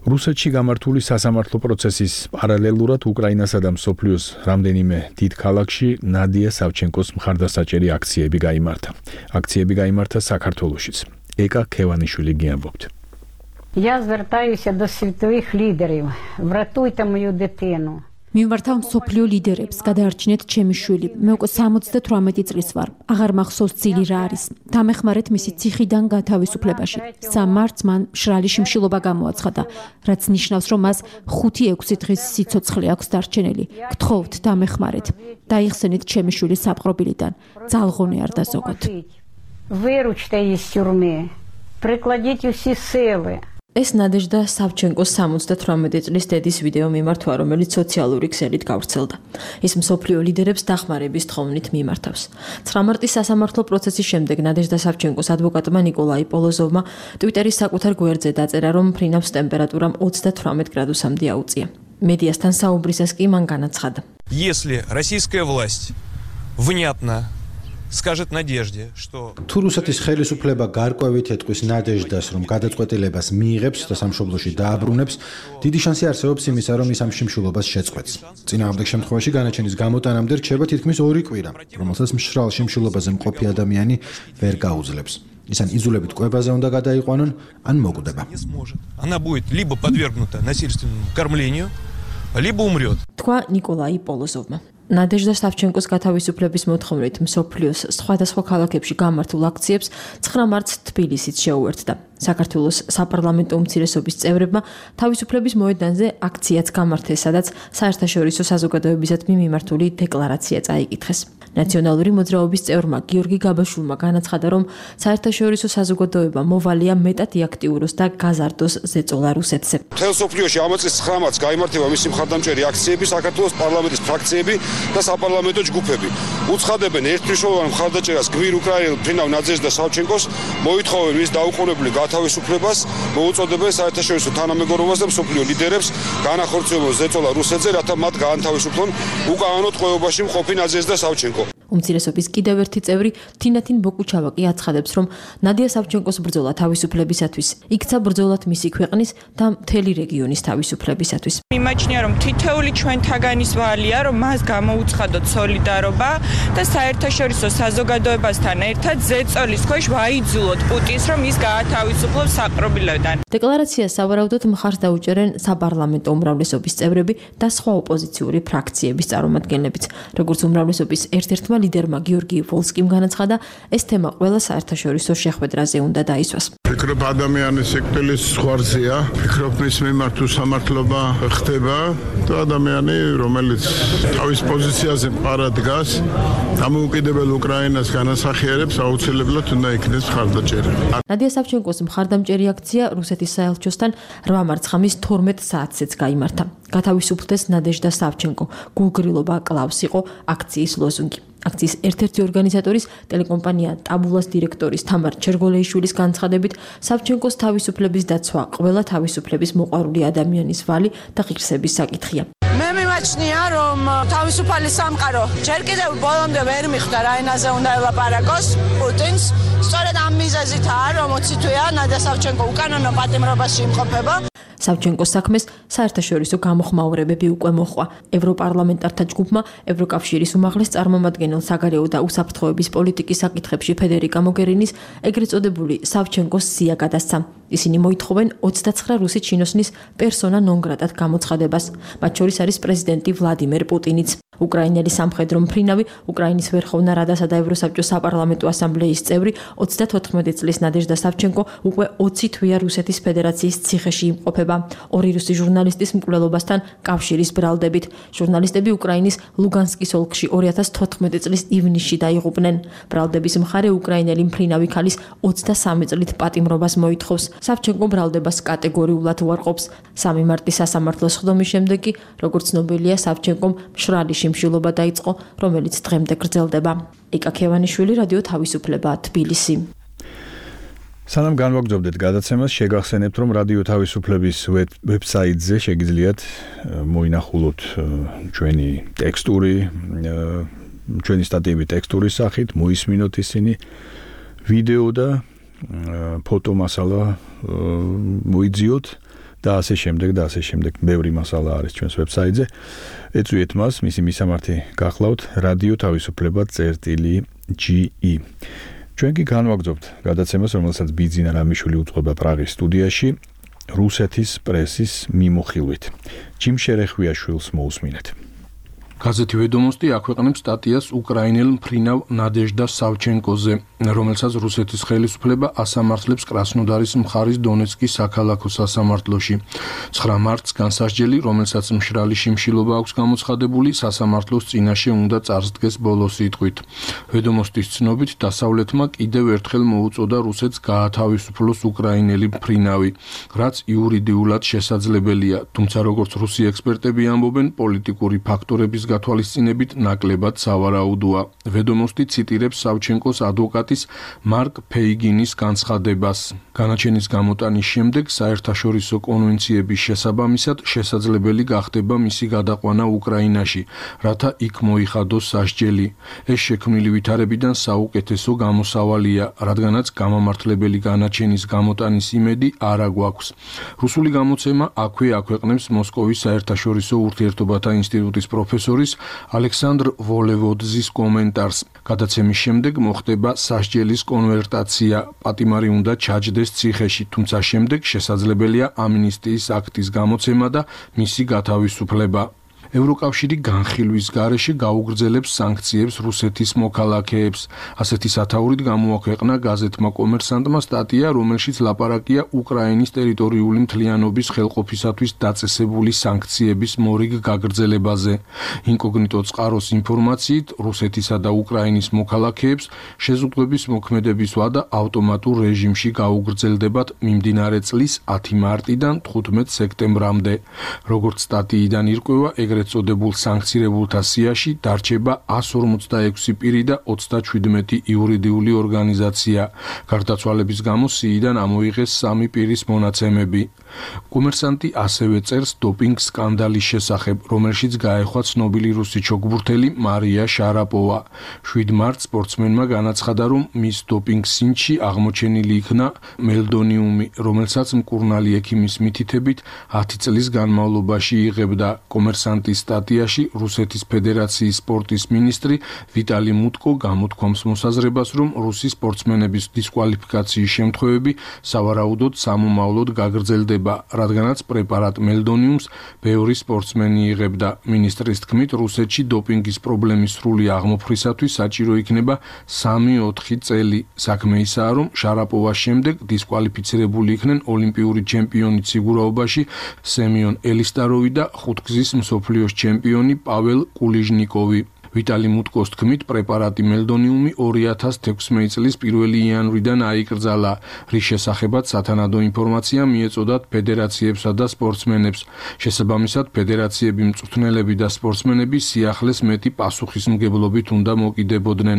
რუსეთში გამართული სასამართლო პროცესის პარალელურად უკრაინასა და მსოფლიოს რამდენიმე დიდ ქალაქში ნადია სავჩენკოს მხარდასაჭერი აქციები გაიმართა. აქციები გაიმართა საქართველოშიც. ეკა ქევანიშვილი გიამბობთ. Я звертаюся до світових лідерів. Врятуйте мою дитину. მივმართავ მსოფლიო ლიდერებს, გადაარჩინეთ ჩემი შვილი. მე უკვე 78 წლის ვარ. აღარ მახსოვს ძილი რა არის. დამეხმარეთ მისი ციხიდან გათავისუფლებაში. 3 მარტს მან მშრალი შიმშილობა გამოაცხადა, რაც ნიშნავს, რომ მას 5-6 დღის სიცოცხლე აქვს დარჩენილი. გთხოვთ, დამეხმარეთ. დაიხსენით ჩემი შვილი საპყრობილიდან. ძალღონე არ დაზოგოთ. Виручте її з тюрми. Прикладіть усі сили. ეს ნადეჟდა სავჩენკოს 78 წლის დედის ვიდეო მიმართვა, რომელიც სოციალური ქსელით გავრცელდა. ის მსოფლიო ლიდერებს დახმარების თხოვნით მიმართავს. 9 მარტის სასამართლო პროცესის შემდეგ ნადეჟდა სავჩენკოს ადვოკატმა ნიკოლაი პოლოზოვმა ტვიტერის საკუთარ გვერდზე დაწერა, რომ ფრინავს ტემპერატურამ 38 გრადუსამდე აუწია. მედიასთან საუბრისას კი მან განაცხადა: Если российская власть внятно скажет Надежде, что თუ რუსეთის ხელისუფლება გარკვევით ეთყვის ნადეჟდას, რომ გადაწყვეტილებას მიიღებს და სამშობლოში დააბრუნებს, დიდი შანსი არსებობს იმისა, რომ ის ამ შიმშილობას შეწყვეტს. წინააღმდეგ შემთხვევაში განაჩენის გამოტანამდე რჩება თითქმის 2 კვირა, რომელსაც მშრალ შიმშილობაზე მყოფი ადამიანი ვერ გაუძლებს. ის ან იზოლებით კვებაზე უნდა გადაიყვანონ, ან მოკვდება. Она будет либо подвергнута насильственному кормлению, либо умрет. თქვა ნიკოლაი პოლოზოვმა. ნადეჟდა სავჩენკოს გათავისუფლების მოთხოვნით მსოფლიოს სხვადასხვა ქალაქებში გამართულ აქციებს 9 მარტს თბილისიც შეუერთდა. საქართველოს საპარლამენტო უმცირესობის წევრებმა თავისუფლების მოედანზე აქციაც გამართეს, სადაც საერთაშორისო საზოგადოებისადმი მიმართული დეკლარაცია წაიკითხეს. ნაციონალური მოძრაობის წევრმა გიორგი გაბაშვილმა განაცხადა, რომ საერთაშორისო საზოგადოება მოვალია მეტად იაქტიუროს და გაზარდოს ზეწოლა რუსეთზე. მთელ სოფლიოში ამ წლის 9 მარტს გაიმართება მისი მხარდამჭერი აქციები, საქართველოს პარლამენტის ფრაქციები და საპარლამენტო ჯგუფები. უცხადებენ ერთმნიშვნელოვან მხარდაჭერას გმირ უკრაინელ ფრინავ ნადეჟდა სავჩენკოს, მოითხოვენ მის დაუყოვნებლივ გათავისუფლებას, მოუწოდებენ საერთაშორისო თანამეგობრობას და მსოფლიო ლიდერებს განახორციელონ ზეწოლა რუსეთზე, რათა მათ გაანთავისუფლონ უკანონო ტყვეობაში მყოფი ნადეჟდა სავჩენკო. უმცირესობის კიდევ ერთი წევრი თინათინ ბოკუჩავაკი აცხადებს, რომ ნადია სავჩენკოს ბრძოლა თავისუფლებისათვის იქცა ბრძოლად მისი ქვეყნის და მთელი რეგიონის თავისუფლებისათვის. მიმაჩნია, რომ თითოეული ჩვენთაგანის ვალია, რომ მას გამოუცხადოთ სოლიდარობა და საერთაშორისო საზოგადოებასთან ერთად ზეწოლის ქვეშ ვაიძულოთ პუტინს, რომ ის გაათავისუფლოს საპყრობილედან. დეკლარაციას სავარაუდოდ მხარს დაუჭერენ საპარლამენტო უმრავლესობის წევრები და სხვა ოპოზიციური ფრაქციების წარმომადგენლებიც. როგორც უმრავლესობის ერთ-ერთმა ლიდერმა გიორგი ვოლსკიმ განაცხადა, ეს თემა ყველა საერთაშორისო შეხვედრაზე უნდა დაისვას. ფიქრობ ადამიანის სიკვდილის ზღვარზეა, ფიქრობ მის მიმართ უსამართლობა ხდება და ადამიანი, რომელიც თავის პოზიციაზე მყარად დგას, დამოუკიდებელ უკრაინას განასახიერებს, აუცილებლად უნდა იქნეს მხარდაჭერი. ნადია სავჩენკოს მხარდამჭერი აქცია რუსეთის საელჩოსთან 8 მარტს ხამის 12 საათზეც გაიმართა. გათავისუფლდეს ნადეჟდა სავჩენკო, გულგრილობა კლავს იყო აქციის ლოზუნგი. აქციის ერთ-ერთი ორგანიზატორის ტელეკომპანია ტაბულას დირექტორის თამარ ჩერგოლეიშვილის განცხადებით, სავჩენკოს თავისუფლების დაცვა ყველა თავისუფლების მოყვარული ადამიანის ვალი და ღირსების საკითხია. მე მიმაჩნია, რომ თავისუფალი სამყარო ჯერ კიდევ ბოლომდე ვერ მიხვდა რა ენაზე უნდა ელაპარაკოს პუტინს. სწორედ ამ მიზეზითაა, რომ 20 თვეა ნადია სავჩენკო უკანონო პატიმრობაში იმყოფება. სავჩენკოს საქმეს საერთაშორისო გამოხმაურებები უკვე მოჰყვა. ევროპარლამენტართა ჯგუფმა ევროკავშირის უმაღლეს წარმომადგენელ საგარეო და უსაფრთხოების პოლიტიკის საკითხებში ფედერიკა მოგერინის ეგრეთ წოდებული სავჩენკოს სია გადასცა. ისინი მოითხოვენ 29 რუსი ჩინოსნის პერსონა ნონ გრატად გამოცხადებას. მათ შორის არის პრეზიდენტი ვლადიმერ პუტინიც. უკრაინელი სამხედრო მფრინავი, უკრაინის ვერხოვნა რადასა და ევროსაბჭოს საპარლამენტო ასამბლეის წევრი 34 წლის ნადეჟდა სავჩენკო უკვე 20 თვეა რუსეთის ფედერაციის ციხეში იმყოფება. ორი რუსი ჟურნალისტის მკვლელობასთან კავშირის ბრალდებით. ჟურნალისტები უკრაინის ლუგანსკის ოლქში 2014 წლის ივნისში დაიღუპნენ. ბრალდების მხარე უკრაინელი მფრინავი ქალის 23 წლით პატიმრობას მოითხოვს. სავჩენკო ბრალდებას კატეგორიულად უარყოფს. 3 მარტის სასამართლოს ხდომის შემდეგ კი, როგორც ცნობილია, სავჩენკომ მშრალი შიმშილობა დაიწყო, რომელიც დღემდე გრძელდება. იკა ქევანიშვილი, რადიო თავისუფლება, თბილისი. სანამ განვაგრძობდეთ გადაცემას, შეგახსენებთ, რომ რადიო თავისუფლების ვებსაიტზე შეგიძლიათ მოინახულოთ ჩვენი ტექსტური, ჩვენი სტატიები ტექსტურის სახით, მოისმინოთ ისინი, ვიდეო და ფოტო მასალა მოიძიოთ და ასე შემდეგ, ბევრი მასალა არის ჩვენს ვებსაიტზე. ეწვიეთ მას, მისი მისამართი გახლავთ რადიო თავისუფლება.ge. ჩვენ კი განვაგრძობთ გადაცემას, რომელსაც ბიძინა რამიშვილი უძღვება პრაღის სტუდიაში, რუსეთის პრესის მიმოხილვით. ჯიმ შერეხვიაშვილს მოусმინეთ. გაზეთი ვედომოსტი აქვეყნებს სტატიას უკრაინელ მფრინავ ნადეჟდა სავჩენკოზე, რომელსაც რუსეთის ხელისუფლება ასამართლებს კრასნოდარის მხარის დონეცკის საქალაქო სასამართლოში. 9 მარტს განსასჯელი, რომელსაც მშრალი შიმშილობა აქვს გამოცხადებული, სასამართლოს წინაშე უნდა წარსდგეს ბოლო სიტყვით. ვედომოსტის ცნობით, დასავლეთმა კიდევ ერთხელ მოუწოდა რუსეთს გაათავისუფლოს უკრაინელი მფრინავი, რაც იურიდიულად შესაძლებელია, თუმცა როგორც რუსი ექსპერტები ამბობენ, პოლიტიკური ფაქტორების გათვალისწინებით ნაკლებად სავარაუდოა. ვედომოსტი ციტირებს სავჩენკოს ადვოკატის მარკ ფეიგინის განცხადებას. განაჩენის გამოტანის შემდეგ საერთაშორისო კონვენციების შესაბამისად შესაძლებელი გახდება მისი გადაყვანა უკრაინაში, რათა იქ მოიხადოს სასჯელი. ეს შექმნილი ვითარებიდან საუკეთესო გამოსავალია, რადგანაც გამამართლებელი განაჩენის გამოტანის იმედი არ აგვაქვს. რუსული გამოცემა აქვე აქვეყნებს მოსკოვის საერთაშორისო ურთიერთობათა ინსტიტუტის პროფესორის ალექსანდრ ვოლევოძის კომენტარს. გადაცემის შემდეგ მოხდება სასჯელის კონვერტაცია, პატიმარი უნდა ჩაჯდეს ციხეში, თუმცა შემდეგ შესაძლებელია ამნისტიის აქტის გამოცემა და მისი გათავისუფლება. ევროკავშირი განხილვის გარეშე გაუგრძელებს სანქციებს რუსეთის მოქალაქეებს. ასეთი სათაურით გამოაქვეყნა გაზეთმა კომერსანტმა სტატია, რომელშიც ლაპარაკია უკრაინის ტერიტორიული მთლიანობის ხელყოფისათვის დაწესებული სანქციების მორიგ გაგრძელებაზე. ინკოგნიტო წყაროს ინფორმაციით, რუსეთისა და უკრაინის მოქალაქეებს შეზღუდვების მოქმედების ვადა ავტომატურ რეჟიმში გაუგრძელდებათ მიმდინარე წლის 10 მარტიდან 15 სექტემბრამდე. როგორც სტატიიდან ირკვევა, ეგრეთ წოდებულ სანქცირებულთა სიაში დარჩება 146 პირი და 37 იურიდიული ორგანიზაცია. გარდაცვალების გამო სიიდან ამოიღეს 3 პირის მონაცემები. კომერსანტი ასევე წერს დოპინგ სკანდალის შესახებ, რომელშიც გაეხვა ცნობილი რუსი ჩოგბურთელი მარია შარაპოვა. 7 მარტს სპორტსმენმა განაცხადა, რომ მის დოპინგ სინჩი აღმოჩენილი იქნა მელდონიუმი, რომელსაც მკურნალი ექიმის მითითებით 10 წლის განმავლობაში იღებდა. კომერსანტის სტატიაში რუსეთის ფედერაციის სპორტის მინისტრი ვიტალი მუტკო გამოთქვამს მოსაზრებას, რომ რუსი სპორტსმენების დისკვალიფიკაციის შემთხვევები სავარაუდოდ სამომავლოდ გაგრძელდება, რადგანაც პრეპარატ მელდონიუმს ბევრი სპორტსმენი იღებდა. მინისტრის თქმით, რუსეთში დოპინგის პრობლემის სრული აღმოფხვრისათვის საჭირო იქნება 3-4 წელი. საქმე ისაა, რომ შარაპოვას შემდეგ დისკვალიფიცირებული იქნენ ოლიმპიური ჩემპიონი ციგურაობაში სემიონ ელისტაროვი და ხუთგზის მსოფლიოს ჩემპიონი პაվել კულიჟნიკოვი. ვიტალი მუტკოს თქმით, პრეპარატი მელდონიუმი 2016 წლის 1 იანვრიდან აიკრძალა, რის შესახებაც სათანადო ინფორმაცია მიეწოდათ ფედერაციებსა და სპორტსმენებს. შესაბამისად, ფედერაციები, მწვრთნელები და სპორტსმენები სიახლეს მეტი პასუხისმგებლობით უნდა მოკიდებოდნენ.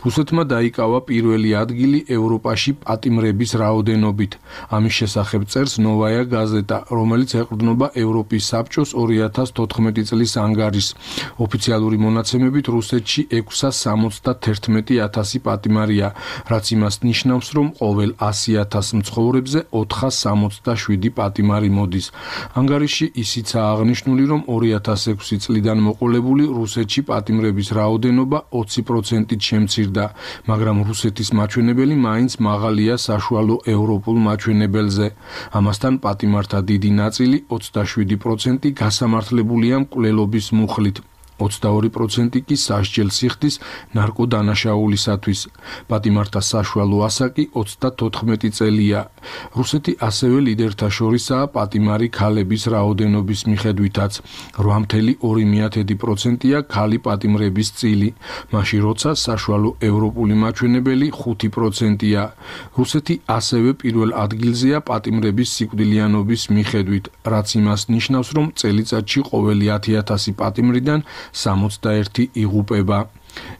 რუსეთმა დაიკავა პირველი ადგილი ევროპაში პატიმრების რაოდენობით. ამის შესახებ წერს ნოვაია გაზეტა, რომელიც ეყრდნობა ევროპის საბჭოს 2014 წლის ანგარიშს. ოფიციალური მონაცემები განცხადებით რუსეთში 671,000 პატიმარია, რაც იმას ნიშნავს, რომ ყოველ 100,000 მცხოვრებზე 467 პატიმარი მოდის. ანგარიში ისიცაა აღნიშნული, რომ 2006 წლიდან მოყოლებული რუსეთში პატიმრების რაოდენობა 20%-ით შემცირდა, მაგრამ რუსეთის მაჩვენებელი მაინც მაღალია საშუალო ევროპულ მაჩვენებელზე. ამასთან პატიმართა დიდი ნაწილი 27% გასამართლებულია მკვლელობის მუხლით. 22% კი სასჯელ სიხდის ნარკოდანაშაულისათვის. პატიმართა საშუალო ასაკი 34 წელია. რუსეთი ასევე ლიდერთა შორისაა პატიმარი ქალების რაოდენობის მიხედვითაც. 8,2%-ია ქალი პატიმრების წილი, მაშინ როცა საშუალო ევროპული მაჩვენებელი 5%-ია. რუსეთი ასევე პირველ ადგილზეა პატიმრების სიკვდილიანობის მიხედვით, რაც იმას ნიშნავს, რომ წელიწადში ყოველი 10,000 პატიმრიდან 61 იღუპება.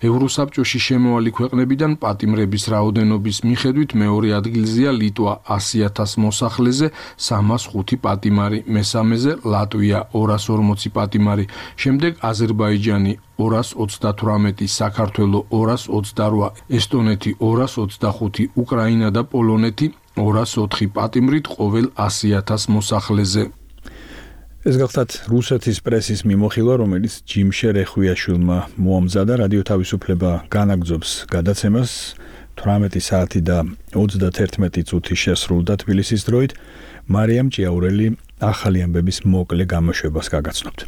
ევროსაბჭოში შემოვალი ქვეყნებიდან პატიმრების რაოდენობის მიხედვით მეორე ადგილზეა ლიტვა 100,000 მოსახლეზე 305 პატიმარი, მესამეზე ლატვია 240 პატიმარი, შემდეგ აზერბაიჯანი 238, საქართველო 228, ესტონეთი 225, უკრაინა და პოლონეთი 204 პატიმრით ყოველ 100,000 მოსახლეზე. ეს გახლავთ რუსეთის პრესის მიმოხილვა, რომელიც ჯიმშე რეხვიაშვილმა მოამზადა. რადიო თავისუფლება განაგრძობს გადაცემას 18 საათი და 31 წუთი შესრულდა თბილისის დროით. მარიამ ჭიაურელი ახალი ამბების მოკლე გამოშვებას გაგაცნობთ.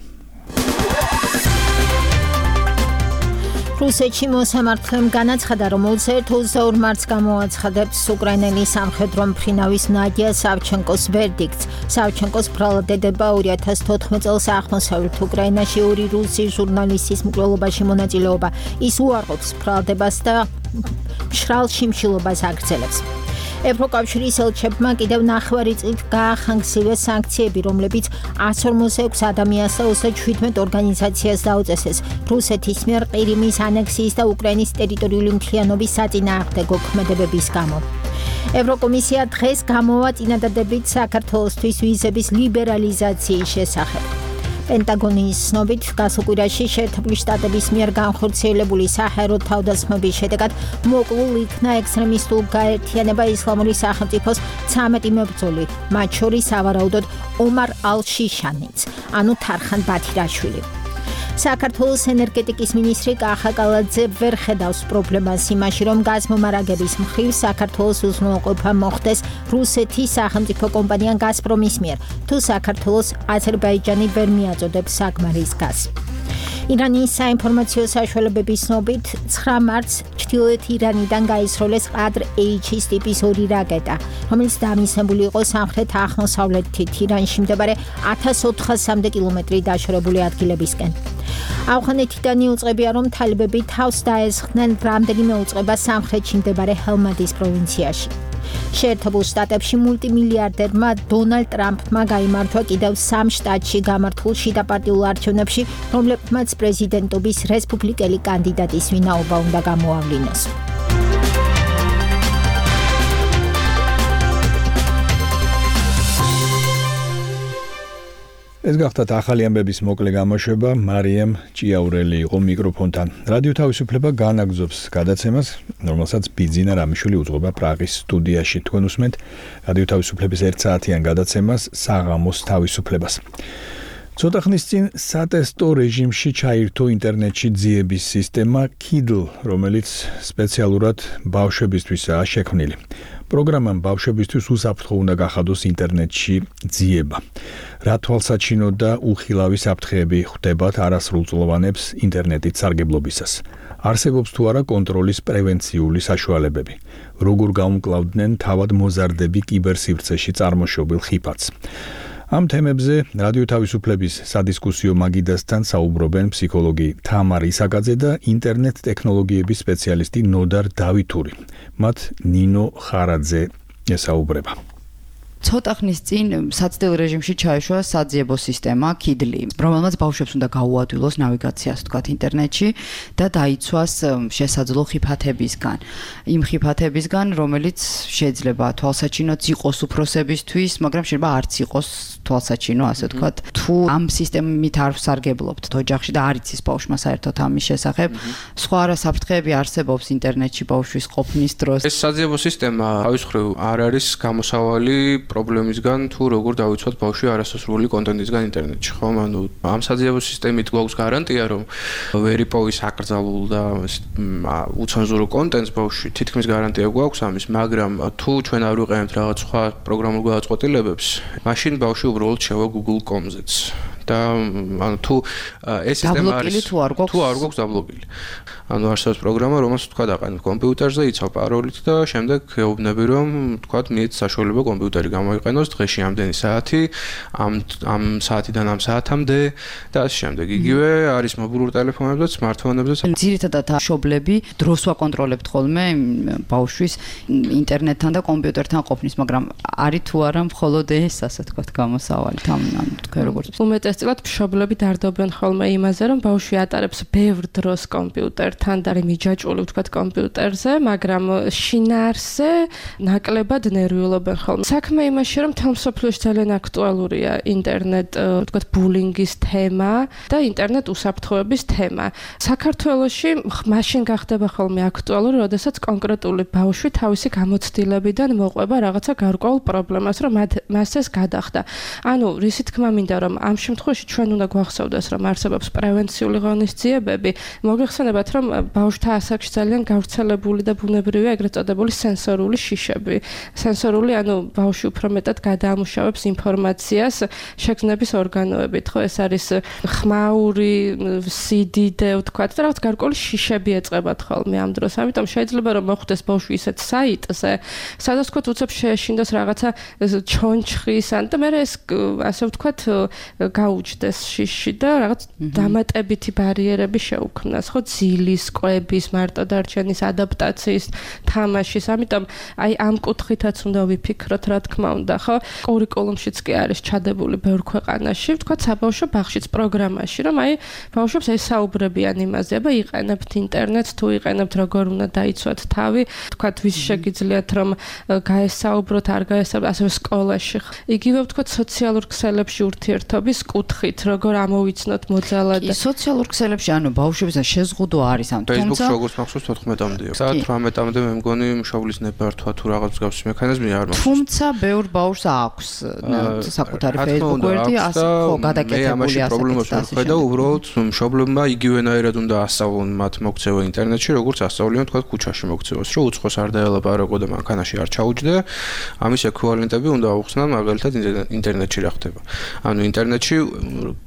რუსეთში მოსამართლემ განაცხადა, რომ 21-22 მარტს გამოაცხადებს უკრაინელი სამხედრო მფრინავის ნადია სავჩენკოს ვერდიქტს. სავჩენკოს ბრალდება 2014 წელს აღმოსავლეთ უკრაინაში ორი რუსი ჟურნალისტის მკვლელობაში მონაწილეობა. ის უარყოფს ბრალდებას და მშრალ შიმშილობას აგრძელებს. ევროკავშირის ელჩებმა კიდევ 9 წლით გაახანგცივეს სანქციები, რომლებიც 146 ადამიანს და 37 ორგანიზაციას დაუწესეს რუსეთის მიერ ყირიმის ანექსიის და უკრაინის ტერიტორიული მთლიანობის საწინააღმდეგო ქმედებების გამო. ევროკომისია დღეს გამოვა წინადადებით საქართველოსთვის ვიზების ლიბერალიზაციის შესახებ. პენტაგონის ცნობით, გასულ კვირაში შეერთებული შტატების მიერ განხორციელებული საჰაერო თავდასხმების შედეგად მოკლულ იქნა ექსტრემისტულ გაერთიანება ისლამური სახელმწიფოს 13 მებრძოლი, მათ შორის სავარაუდოდ ომარ ალ-შიშანიც, ანუ თარხან ბათირაშვილი. საქართველოს ენერგეტიკის მინისტრი კახა კალაძე ვერ ხედავს პრობლემას იმაში, რომ გაზმომარაგების მხრივ საქართველოს უზრუნველყოფა მოხდეს რუსეთის სახელმწიფო კომპანია გაზპრომის მიერ, თუ საქართველოს აზერბაიჯანი ვერ მიაწოდებს საკმარის გაზს. ირანის საინფორმაციო საშუალებების ცნობით 9 მარტს ჩრდილოეთ ირანიდან გაისროლეს ყადრ-H-ის ტიპის 2 რაკეტა, რომელიც დამისნებული იყო სამხრეთ აღმოსავლეთით ირანში მდებარე 1400-მდე კილომეტრი დაშორებული ადგილებისკენ. ავღანეთიდან იუწყებია, რომ თალიბები თავს დაესხნენ რამდენიმე უწყება სამხრეთში მდებარე ჰელმანდის პროვინციაში. შეერთებულ შტატებში მულტიმილიარდერმა დონალდ ტრამპმა გაიმარჯვა კიდევ 3 შტატში გამართულ შიდაპარტიულ არჩევნებში, რომლებმაც პრეზიდენტობის რესპუბლიკელი კანდიდატის ვინაობა უნდა გამოავლინოს. ეს გახლავთ ახალი ამბების მოკლე გამოშვება. მარიამ ჭიაურელი იყო მიკროფონთან. რადიო თავისუფლება განაგრძობს გადაცემას, რომელსაც ბიძინა რამიშვილი უძღვება პრაღის სტუდიაში. თქვენ უსმენთ რადიო თავისუფლების 1 საათიან გადაცემას საღამოს თავისუფლებას. ცოტა ხნის წინ სატესტო რეჟიმში ჩაირთო ინტერნეტში ძიების სისტემა Kindle, რომელიც სპეციალურად ბავშვებისთვისაა შექმნილი. პროგრამამ ბავშვებისთვის უსაფრთხო უნდა გახადოს ინტერნეტში ძიება. რა თვალსაჩინო და უხილავი საფრთხეები ხვდებათ არასრულწლოვანებს ინტერნეტით სარგებლობისას. არსებობს თუ არა კონტროლის პრევენციული საშუალებები. როგორ გაუმკლავდნენ თავად მოზარდები კიბერსივრცეში წარმოშობილ ხიფათს. ამ თემებზე რადიო თავისუფლების სადისკუსიო მაგიდასთან საუბრობენ ფსიქოლოგი თამარ ისაკაძე და ინტერნეტ ტექნოლოგიების სპეციალისტი ნოდარ დავითური. მათ ნინო ხარაძე ესაუბრება. ცოტა ხნის წინ საცდელ რეჟიმში ჩაეშვა საძიებო სისტემა KIDLI, რომელმაც ბავშვებს უნდა გაუადვილოს ნავიგაციას, თქვათ, ინტერნეტში და დაიცვას შესაძლო ხიფათებისგან. იმ ხიფათებისგან, რომელიც შეიძლება თვალსაჩინოც იყოს უფროსებისთვის, მაგრამ შეიძლება არც იყოს თვალსაჩინო, ასე ვთქვათ. თუ ამ სისტემით არ ვსარგებლობთ ოჯახში და არ იცის ბავშვმა საერთოდ ამის შესახებ, სხვა რა საფრთხეები არსებობს ინტერნეტში ბავშვის ყოფნის დროს. ეს საძიებო სისტემა თავის მხრივ არ არის გამოსავალი პრობლემისგან, თუ როგორ დავიცვათ ბავშვი არასასრული კონტენტისგან ინტერნეტში, ხო? ანუ ამ საძიებო სისტემით გვაქვს გარანტია, რომ ვერ იპოვის აკრძალულ და უცენზურო კონტენტს ბავშვი, თითქმის გარანტია გვაქვს ამის, მაგრამ თუ ჩვენ არ ვიყენებთ რაღაც სხვა პროგრამულ გადაწყვეტილებებს, მაშინ ბავშვი უბრალოდ შევა Google.com-ზეც. და ანუ თუ ეს სისტემა არის თუ არ გვაქვს დაბლოკილი. ანუ არსებობს პროგრამა, რომელსაც თქვა დაყენებ კომპიუტერზე, იცავ პაროლით და შემდეგ ეუბნები, რომ თქვა მიეც საშუალება კომპიუტერი გამოიყენოს დღეში ამდენი საათი, ამ საათიდან ამ საათამდე და ასე შემდეგ. იგივე არის მობილურ ტელეფონებზე, smartphone-ებზე. ძირითადად მშობლები დროს ვაკონტროლებთ ხოლმე ბავშვის ინტერნეტთან და კომპიუტერთან ყოფნის, მაგრამ არის თუ არა მხოლოდ ეს, ასე თქვა, გამოსავალი ამ თქვენ როგორც უმეტესწილად მშობლები დარდობენ ხოლმე იმაზე, რომ ბავშვი ატარებს ბევრ დროს კომპიუტერთან და მიჯაჭვული ვთქვათ კომპიუტერზე, მაგრამ შინაარსზე ნაკლებად ნერვიულობენ ხოლმე. საქმე იმაში, რომ მთელ მსოფლიოში ძალიან აქტუალურია ინტერნეტ, ვთქვათ, ბულინგის თემა და ინტერნეტ უსაფრთხოების თემა. საქართველოში მაშინ გახდება ხოლმე აქტუალური, როდესაც კონკრეტული ბავშვი თავისი გამოცდილებიდან მოყვება რაღაცა გარკვეულ პრობლემას, რომ მას ეს გადახდა. ანუ რისი თქმა მინდა, რომ ამ შემთხვევაში ჩვენ უნდა გვახსოვდეს, რომ არსებობს პრევენციული ღონისძიებები. მოგეხსენებათ, რომ ბავშვთა ასაკში ძალიან გავრცელებული და ბუნებრივია ეგრეთ წოდებული სენსორული შიშები. სენსორული, ანუ ბავშვი უფრო მეტად გადაამუშავებს ინფორმაციას შეგრძნების ორგანოებით, ხო? ეს არის ხმაური, სიდიდე, ვთქვათ, და რაღაც გარკვეული შიშები ეწყებათ ხოლმე ამ დროს. ამიტომ შეიძლება რომ მოხვდეს ბავშვი ისეთ საიტზე, სადაც თქვათ უცებ შეეშინდოს რაღაცა ჩონჩხის ან და მე ეს ასე ვთქვათ გაუჩნდეს შიში და რაღაც დამატებითი ბარიერები შეუქმნას, ხო, ძილის, კვების, მარტოდარჩენის, ადაპტაციის, თამაშის. ამიტომ აი ამ კუთხითაც უნდა ვიფიქროთ, რა თქმა უნდა, ხო? კურიკულუმშიც კი არის ჩადებული ბევრ ქვეყანაში, ვთქვათ, საბავშვო ბაღშიც პროგრამაში, რომ აი ბავშვებს ესაუბრებიან იმაზე, აბა იყენებთ ინტერნეტს, თუ იყენებთ, როგორ უნდა დაიცვათ თავი, ვთქვათ, ვის შეგიძლიათ რომ გაესაუბროთ, არ გაესაუბროთ, ასევე სკოლაში. იგივე ვთქვათ, სოციალურ ქსელებში ურთიერთობის კუთხით, როგორ ამოვიცნოთ მოძალად. კი, სოციალურ ქსელებში, ანუ ბავშვებთან შეზღუდვა არის ამ თუმცა Facebook-ში როგორც მახსოვს 14-მდეა. საათ 18-მდე მე მგონი მშობლის ნებართვა თუ რაღაც მსგავსი მექანიზმი არ მახსოვს. თუმცა ბევრ ბავშვს აქვს საკუთარი Facebook გვერდი, ასე ხო გადაკეთებული ასეთი პრობლემას ვხედავ, უბრალოდ მშობლებმა იგივენაირად უნდა ასწავლონ მათ მოქცევა ინტერნეტში, როგორც ასწავლიან თქვა ქუჩაში მოქცევას, რომ უცხოს არ დაელაპარაკო და მანქანაში არ ჩაუჯდე. ამის ექვივალენტები უნდა აუხსნან მაგალითად ინტერნეტში რა ხდება. ანუ ინტერნეტში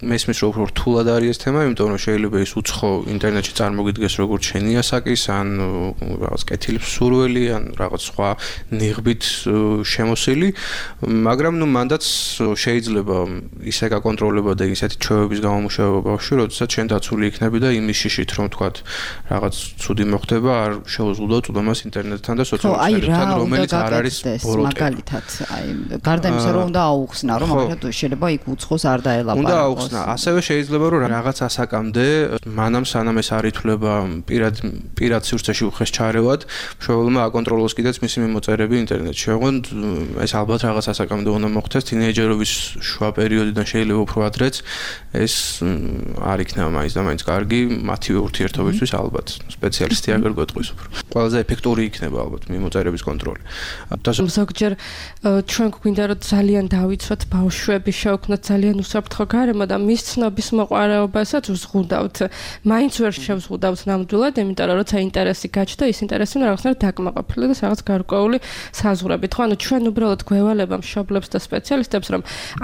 მესმის რომ უფრო რთულად არის ეს თემა, იმიტომ რომ შეიძლება ის უცხო ინტერნეტში წარმოგიდგეს როგორც შენი ასაკის, ან რაღაც კეთილ სურველი, ან რაღაც სხვა ნიღბით შემოსილი, მაგრამ ნუ მანდაც შეიძლება ისე გაკონტროლება და ისეთი ჩვევების გამომუშავება ბავშვი, როდესაც შენ დაცული იქნები და იმის შიშით რომ თქვათ რაღაც ცუდი მოხდება, არ შეუძლო წვდომას ინტერნეტთან და სოციალურ ქსელებთან, რომელიც არ არის ბოროტება. მაგალითად, აი გარდა იმისა რომ უნდა აუხსნა, რომ მაგალითად შეიძლება იქ უცხოს არ დაელაპარაკოს. უნდა აუხსნა. ასევე შეიძლება რომ რაღაც ასაკამდე მანამ სანამ ეს არ ითვლება პირად სივრცეში უხეს ჩარევად, მშობელმა აკონტროლოს კიდეც მისი მიმოწერები ინტერნეტში. ოღონდ ეს ალბათ რაღაც ასაკამდე უნდა მოხდეს, თინეიჯერობის შუა პერიოდიდან შეიძლება უფრო ადრეც ეს არ იქნება მაინც და მაინც კარგი მათივე ურთიერთობისთვის ალბათ. სპეციალისტი აგერ გვეტყვის უფრო. ყველაზე ეფექტური იქნება ალბათ მიმოწერების კონტროლი. ზოგჯერ ჩვენ გვინდა რომ ძალიან დავიცვათ ბავშვები, შევქმნათ ძალიან უსაფრთხო გარემო და მის ცნობის მოყვარეობასაც ვზღუდავთ. მაინც ვერ შევზღუდავთ ნამდვილად, იმიტომ რომ როცა ინტერესი გაჩნდა, ის ინტერესი უნდა რაღაცნაირად დაკმაყოფილდეს და რაღაც გარკვეული საზღვრებით. ხო, ანუ ჩვენ უბრალოდ გვევალება მშობლებს და სპეციალისტებს, რომ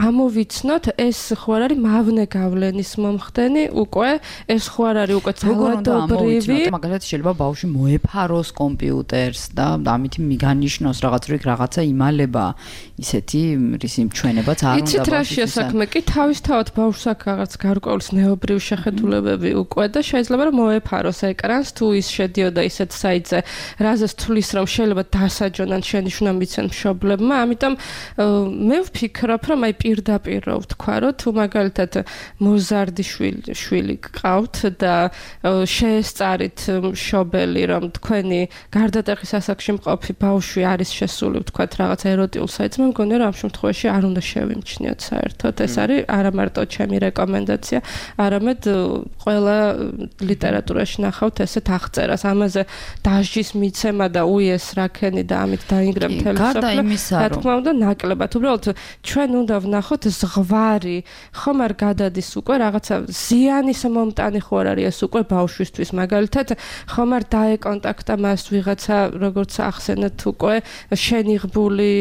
ამოვიცნოთ, ეს ხო არ არის მავნე გავლენის მომხდენი, უკვე ეს ხო არ არის უკვე ძალადობრივი. მაგალითად შეიძლება ბავშვი მოეფაროს კომპიუტერს და ამით მიგანიშნოს რაღაც რიგ რაღაცა იმალება, ისეთი რისი მჩვენებაც არ უნდა ბავშვის. იცით რა შეასაქმე კი თავის თავად ბავშვს აქვს რაღაც გარკვეული ნეობრივი შეხედულებები უკვე და შეიძლება რომ მოეფაროს ეკრანს თუ ის შედიოდა ისეთ საიტზე, რაზეც თulis რომ შეიძლება დასაჯონ ან შენიშვნა მიცენ მშობლებმა, ამიტომ მე ვფიქრობ, რომ აი პირდაპირ რო ვთქვა, რომ თუ მაგალითად მოზარდი შვილი გყავთ და შეესწარით მშობელი, რომ თქვენი გარდატეხის ასაკში მყოფი ბავშვი არის შესული, ვთქვათ, რაღაც ეროტიულ საიტზე, მე მგონია, რომ ამ შემთხვევაში არ უნდა შევიმჩნიოთ საერთოდ. ეს არის არა მარტო ჩემი რეკომენდაცია, არამედ ყველა ლიტერატურაში ნახავთ ესეთ აღწერას. ამაზე დასჯის მიცემა და უიეს რაქენი და ამით დაინგრა მთელი მსოფლიო. რა თქმა უნდა, ნაკლებად. უბრალოდ ჩვენ უნდა ვნახოთ ზღვარი, ხომ არ გადადის უკვე რაღაცა ზიანის მომტანი ხო არ არის ეს უკვე ბავშვისთვის. მაგალითად, ხომ არ დაეკონტაქტა მას ვიღაცა, როგორც ახსენეთ უკვე შენიღბული,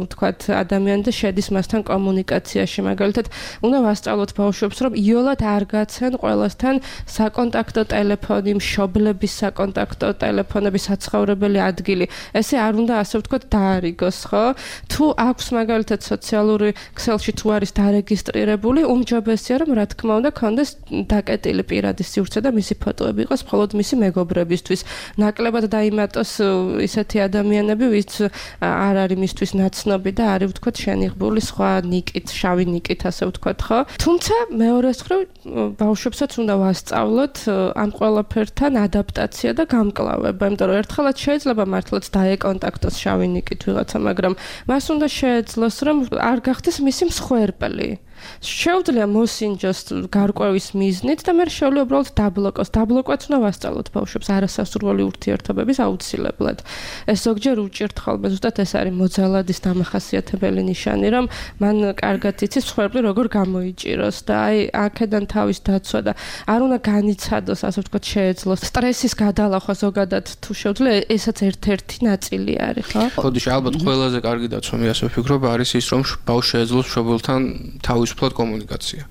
ვთქვათ, ადამიანი და შედის მასთან კომუნიკაციაში. მაგალითად, უნდა ვასწავლოთ ბავშვებს, რომ იოლად არ გაცენ ყველასთან საკონტაქტო ტელეფონი, მშობლების საკონტაქტო ტელეფონები, საცხოვრებელი ადგილი. ესე არ უნდა ასე ვთქვათ დაარიგოს, ხო? თუ აქვს მაგალითად სოციალური ქსელში თუ არის დარეგისტრირებული, უმჯობესია რომ რა თქმა უნდა კონდეს დაკეტილი პირადი სივრცე და მისი ფოტოები იყოს მხოლოდ მისი მეგობრებისთვის. ნაკლებად დაიმატოს ისეთი ადამიანები, ვინც არ არის მისთვის ნაცნობი და არის ვთქვათ შენიღბული სხვა ნიკით, შავი ნიკით ასე ვთქვათ, ხო? თუმცა მეორეს მხრივ ბავშვებსაც უნდა ვასწავლოთ ამ ყველაფერთან ადაპტაცია და გამკლავება, იმიტომ რომ ერთხელაც შეიძლება მართლაც დაეკონტაქტოს შავი ნიკით ვიღაცა, მაგრამ მას უნდა შეეძლოს რომ არ გახდეს მისი მსხვერპლი. შეუძლია მოსინჯოს გარკვევის მიზნით და მე შეუძლია უბრალოდ დაბლოკოს. დაბლოკვაც უნდა ვასწავლოთ ბავშვებს არასასურველი ურთიერთობების აუცილებლად. ეს ზოგჯერ უჭირთ ხოლმე, ზუსტად ეს არის მოძალადის დამახასიათებელი ნიშანი, რომ მან კარგად იცის მსხვერპლი როგორ გამოიჭიროს და აი აქედან თავის დაცვა და არ უნდა განიცადოს, ასე ვთქვათ, შეეძლოს სტრესის გადალახვა ზოგადად თუ შეუძლია, ესაც ერთ-ერთი ნაწილი არის, ხო? ხოდიში ალბათ ყველაზე კარგი დაცვა მე ასე ვფიქრობ არის ის, რომ ბავშვი შეეძლოს მშობელთან თავისუფლად კომუნიკაცია.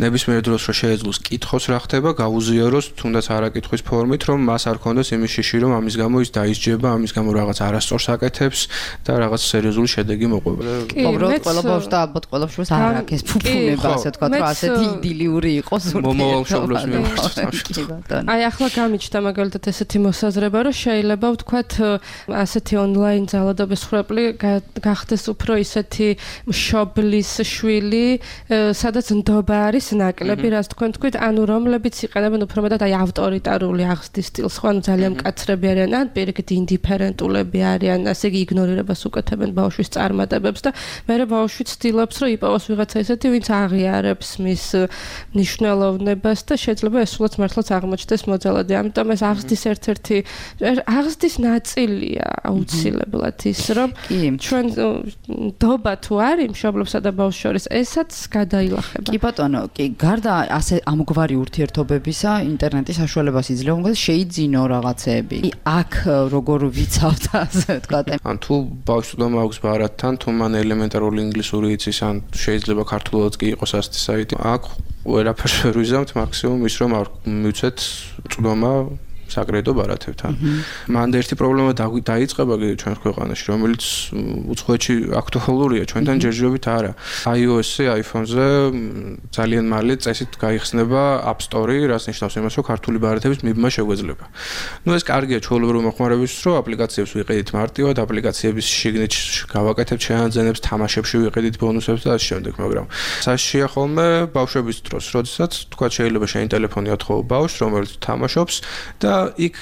ნებისმიერ დროს რომ შეეძლოს კითხოს რა ხდება, გაუზიაროს თუნდაც არაკითხვის ფორმით, რომ მას არ ქონდეს იმის შიში, რომ ამის გამო ის დაისჯება, ამის გამო რაღაც არასწორს აკეთებს და რაღაც სერიოზული შედეგი მოყვება. უბრალოდ ყველა ბავშვს და ალბათ ყველა მშობელს არ აქვს ეს ფუფუნება, ასე ვთქვათ, რომ ასეთი იდილიური იყოს მომავალ მშობლებს მიმართ. აი ახლა გამიჩნდა მაგალითად ესეთი მოსაზრება, რომ შეიძლება ვთქვათ ასეთი ონლაინ ძალადობის მსხვერპლი გახდეს უფრო ისეთი მშობლის შვილი, სადაც ნდობა არის ნაკლები, რაც თქვით, ანუ რომლებიც იყენებენ უფრო მეტად აი ავტორიტარული აღზრდის სტილს, ხო, ანუ ძალიან მკაცრები არიან, ან პირიქით ინდიფერენტულები არიან, ასე იგი იგნორირებას უკეთებენ ბავშვის წარმატებებს და მერე ბავშვი ცდილობს, რომ იპოვოს ვიღაცა ესეთი, ვინც აღიარებს მის მნიშვნელოვნებას და შეიძლება ესულაც მართლაც აღმოჩნდეს მოძალადი. ამიტომ ეს აღზრდის ერთ-ერთი აღზრდის ნაწილია აუცილებლად ის, რომ ჩვენ ნდობა თუ არის მშობლებსა და ბავშვს შორის, ესაც გადაილახება. კი ბატონო, კი, გარდა ასე ამგვარი ურთიერთობებისა, ინტერნეტის საშუალებას იძლევა, მაგრამ შეიძინო რაღაცეები. აქ როგორ ვიცავთ ასე ვთქვათ. ან თუ ბავშვს უნდა მაქვს ბარათთან, თუ მან ელემენტარული ინგლისური იცის, ან შეიძლება ქართულადაც კი იყოს ასეთი საიტი. აქ ვერაფერს ვერ ვიზამთ, მაქსიმუმ ის რომ არ მივცეთ წვდომა საკრედიტო ბარათებთან. მანდ ერთი პრობლემა დაიწყება ჩვენ ქვეყანაში, რომელიც უცხოეთში აქტუალურია, ჩვენთან ჯერჯერობით არა. iOS-ზე, iPhone-ზე ძალიან მალე წესით გაიხსნება App Store, რაც ნიშნავს იმას, რომ ქართული ბარათების მიბმა შეგვეძლება. ნუ ეს კარგია ჩვეულებრივი მოხმარებისთვის, რომ აპლიკაციებს ვიყიდით მარტივად, აპლიკაციების შიგნით გავაკეთებთ შეანძენებს, თამაშებში ვიყიდით ბონუსებს და ასე შემდეგ, მაგრამ საშია ხოლმე ბავშვების დროს, როდესაც თქვა შეიძლება შენი ტელეფონი ათხოვო ბავშვს, რომელიც თამაშობს და იქ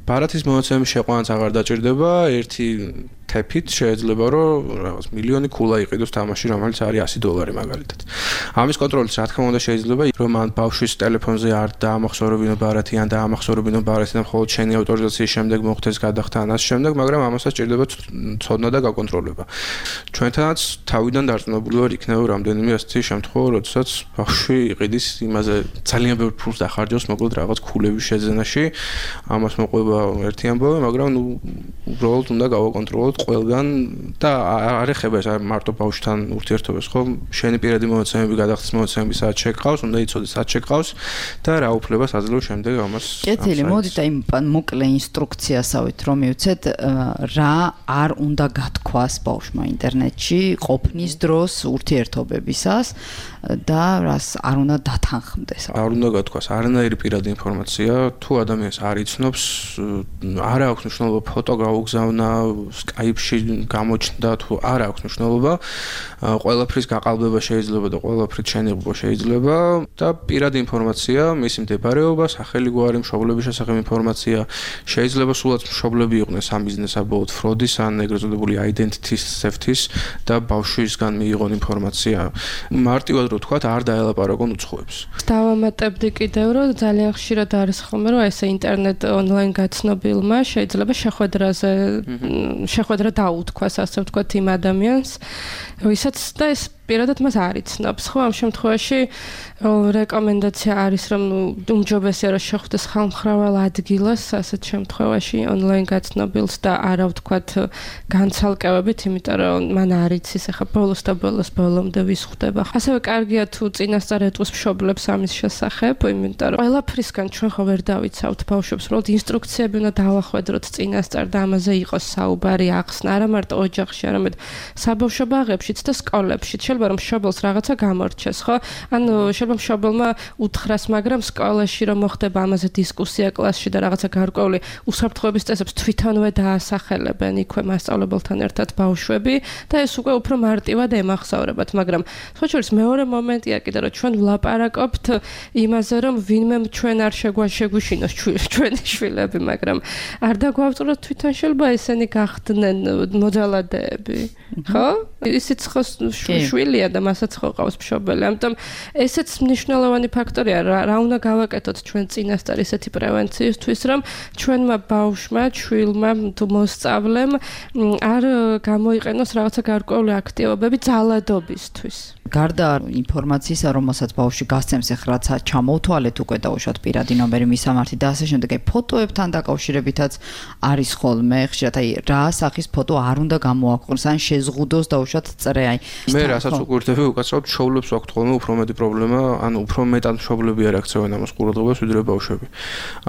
ბარათის მონაცემის შეყვანაც აღარ დაჭირდება, ერთი თეფით შეიძლება რომ რაღაც მილიონი ქულა იყიდოს თამაში, რომელიც არის $100 მაგალითად. ამის კონტროლიც რა თქმა უნდა შეიძლება, რომ ან ბავშვის ტელეფონზე არ დაამახსოვრებინო ბარათი, ან დაამახსოვრებინო ბარათი და მხოლოდ შენი ავტორიზაციის შემდეგ მოხდეს გადახდა ან ამ შემდეგ, მაგრამ ამასაც ჭირდება ცოდნა და გაკონტროლება. ჩვენთანაც თავიდან დარწმუნებული ვარ იქნება რამდენიმე ასეთი შემთხვევა, როდესაც ბავშვი იყიდის იმაზე ძალიან ბევრ ფულს დახარჯავს, მოკლედ რაღაც ქულების შეძენაში, ამას მოყვება ერთი ამბავი, მაგრამ ნუ უბრალოდ უნდა გავაკონტროლოთ ყველგან და არ ეხება ეს მარტო ბავშვთან ურთიერთობას, ხო? შენი პირადი მონაცემები, გადახდის მონაცემები სადაც შეგყავს, უნდა იცოდეს სადაც შეგყავს და რა უფლებას აძლევს შემდეგ ამას. კეთილი, მოდით აი მოკლე ინსტრუქციასავით რომ მივცეთ რა არ უნდა გათქვას ბავშვმა ინტერნეტში ყოფნის დროს ურთიერთობებისას და რას არ უნდა დათანხმდეს. არ უნდა გათქვას არანაირი პირადი ინფორმაცია, თუ ადამიანს არ იცნობს, არ აქვს მნიშვნელობა ფოტო გაუგზავნა, Skype-ში გამოჩნდა, თუ არ აქვს მნიშვნელობა, ყველაფრის გაყალბება შეიძლება და ყველაფრის შენიღება შეიძლება და პირადი ინფორმაცია, მისი მდებარეობა, სახელი გვარი, მშობლების შესახებ ინფორმაცია, შეიძლება სულაც მშობლები იყვნენ სამიზნესაბოლოდ ფროდის ან ეგრეთ წოდებული identity theft-ის და ბავშვისგან მიიღონ ინფორმაცია. მარტივად რო თქვათ, არ დაელაპარაკონ უცხოებს. დავამატებდი კიდევ, რომ ძალიან ხშირად არის ხოლმე, რომ ესე ინტერნეტ ონლაინ გაცნობილმა შეიძლება შეხვედრა დაუთქვას, ასე ვთქვათ, იმ ადამიანს, ვისაც და ეს პირადად მას არ იცნობს. ხო, ამ შემთხვევაში რეკომენდაცია არის, რომ უმჯობესია რომ შეხვდეს ხალხმრავალ ადგილას, ასეთ შემთხვევაში ონლაინ გაცნობილს და არა ვთქვათ განცალკევებით, იმიტომ რომ მან არ იცის ახლა ბოლოს და ბოლომდე ვის ხვდება. ასევე კარგია თუ წინასწარ ეტყვის მშობლებს ამის შესახებ, იმიტომ რომ ყველაფრისგან ჩვენ ხო ვერ დავიცავთ ბავშვებს, უბრალოდ ინსტრუქციები უნდა დავახვედროთ წინასწარ და ამაზე იყოს საუბარი ახსნა, არა მარტო ოჯახში, არამედ საბავშვო ბაღებშიც და სკოლებშიც. შეიძლება რომ მშობელს რაღაცა გამორჩეს, ხო? ანუ შეიძლება მშობელმა უთხრას, მაგრამ სკოლაში რომ მოხდება ამაზე დისკუსია კლასში და რაღაცა გარკვეული უსაფრთხოების წესებს თვითონვე დაასახელებენ იქვე მასწავლებელთან ერთად ბავშვები და ეს უკვე უფრო მარტივად ემახსოვრებათ, მაგრამ სხვა შორის მეორე მომენტია კიდე რომ ჩვენ ვლაპარაკობთ იმაზე, რომ ვინმე ჩვენ არ შეგვაშეგუშინოს ჩვენი შვილები, მაგრამ არ დაგვავწუროთ თვითონ შეიძლება ესენი გახდნენ მოძალადეები, ხო? ისიც ხო შვილია და მასაც ხო ყავს მშობელი. ამიტომ ესეც მნიშვნელოვანი ფაქტორია, რა უნდა გავაკეთოთ ჩვენ წინასწარ ისეთი პრევენციისთვის, რომ ჩვენმა ბავშვმა, შვილმა თუ მოსწავლემ არ გამოიყენოს რაღაცა გარკვეული აქტივობები ძალადობისთვის. გარდა ინფორმაციისა, რომელსაც ბავშვი გასცემს, ახლა რაცა ჩამოუთვალეთ უკვე დაუშვათ პირადი ნომერი, მისამართი და ასე შემდეგ, აი ფოტოებთან დაკავშირებითაც არის ხოლმე, ხშირად აი რა სახის ფოტო არ უნდა გამოაქვეყნოს, ან შეზღუდოს დაუშვათ წრე, აი მე რასაც უყურდები, უკაცრავად მშობლებს აქვს ხოლმე უფრო მეტი პრობლემა, ანუ უფრო მეტად მშობლები არ აქცევენ ამას ყურადღებას, ვიდრე ბავშვები.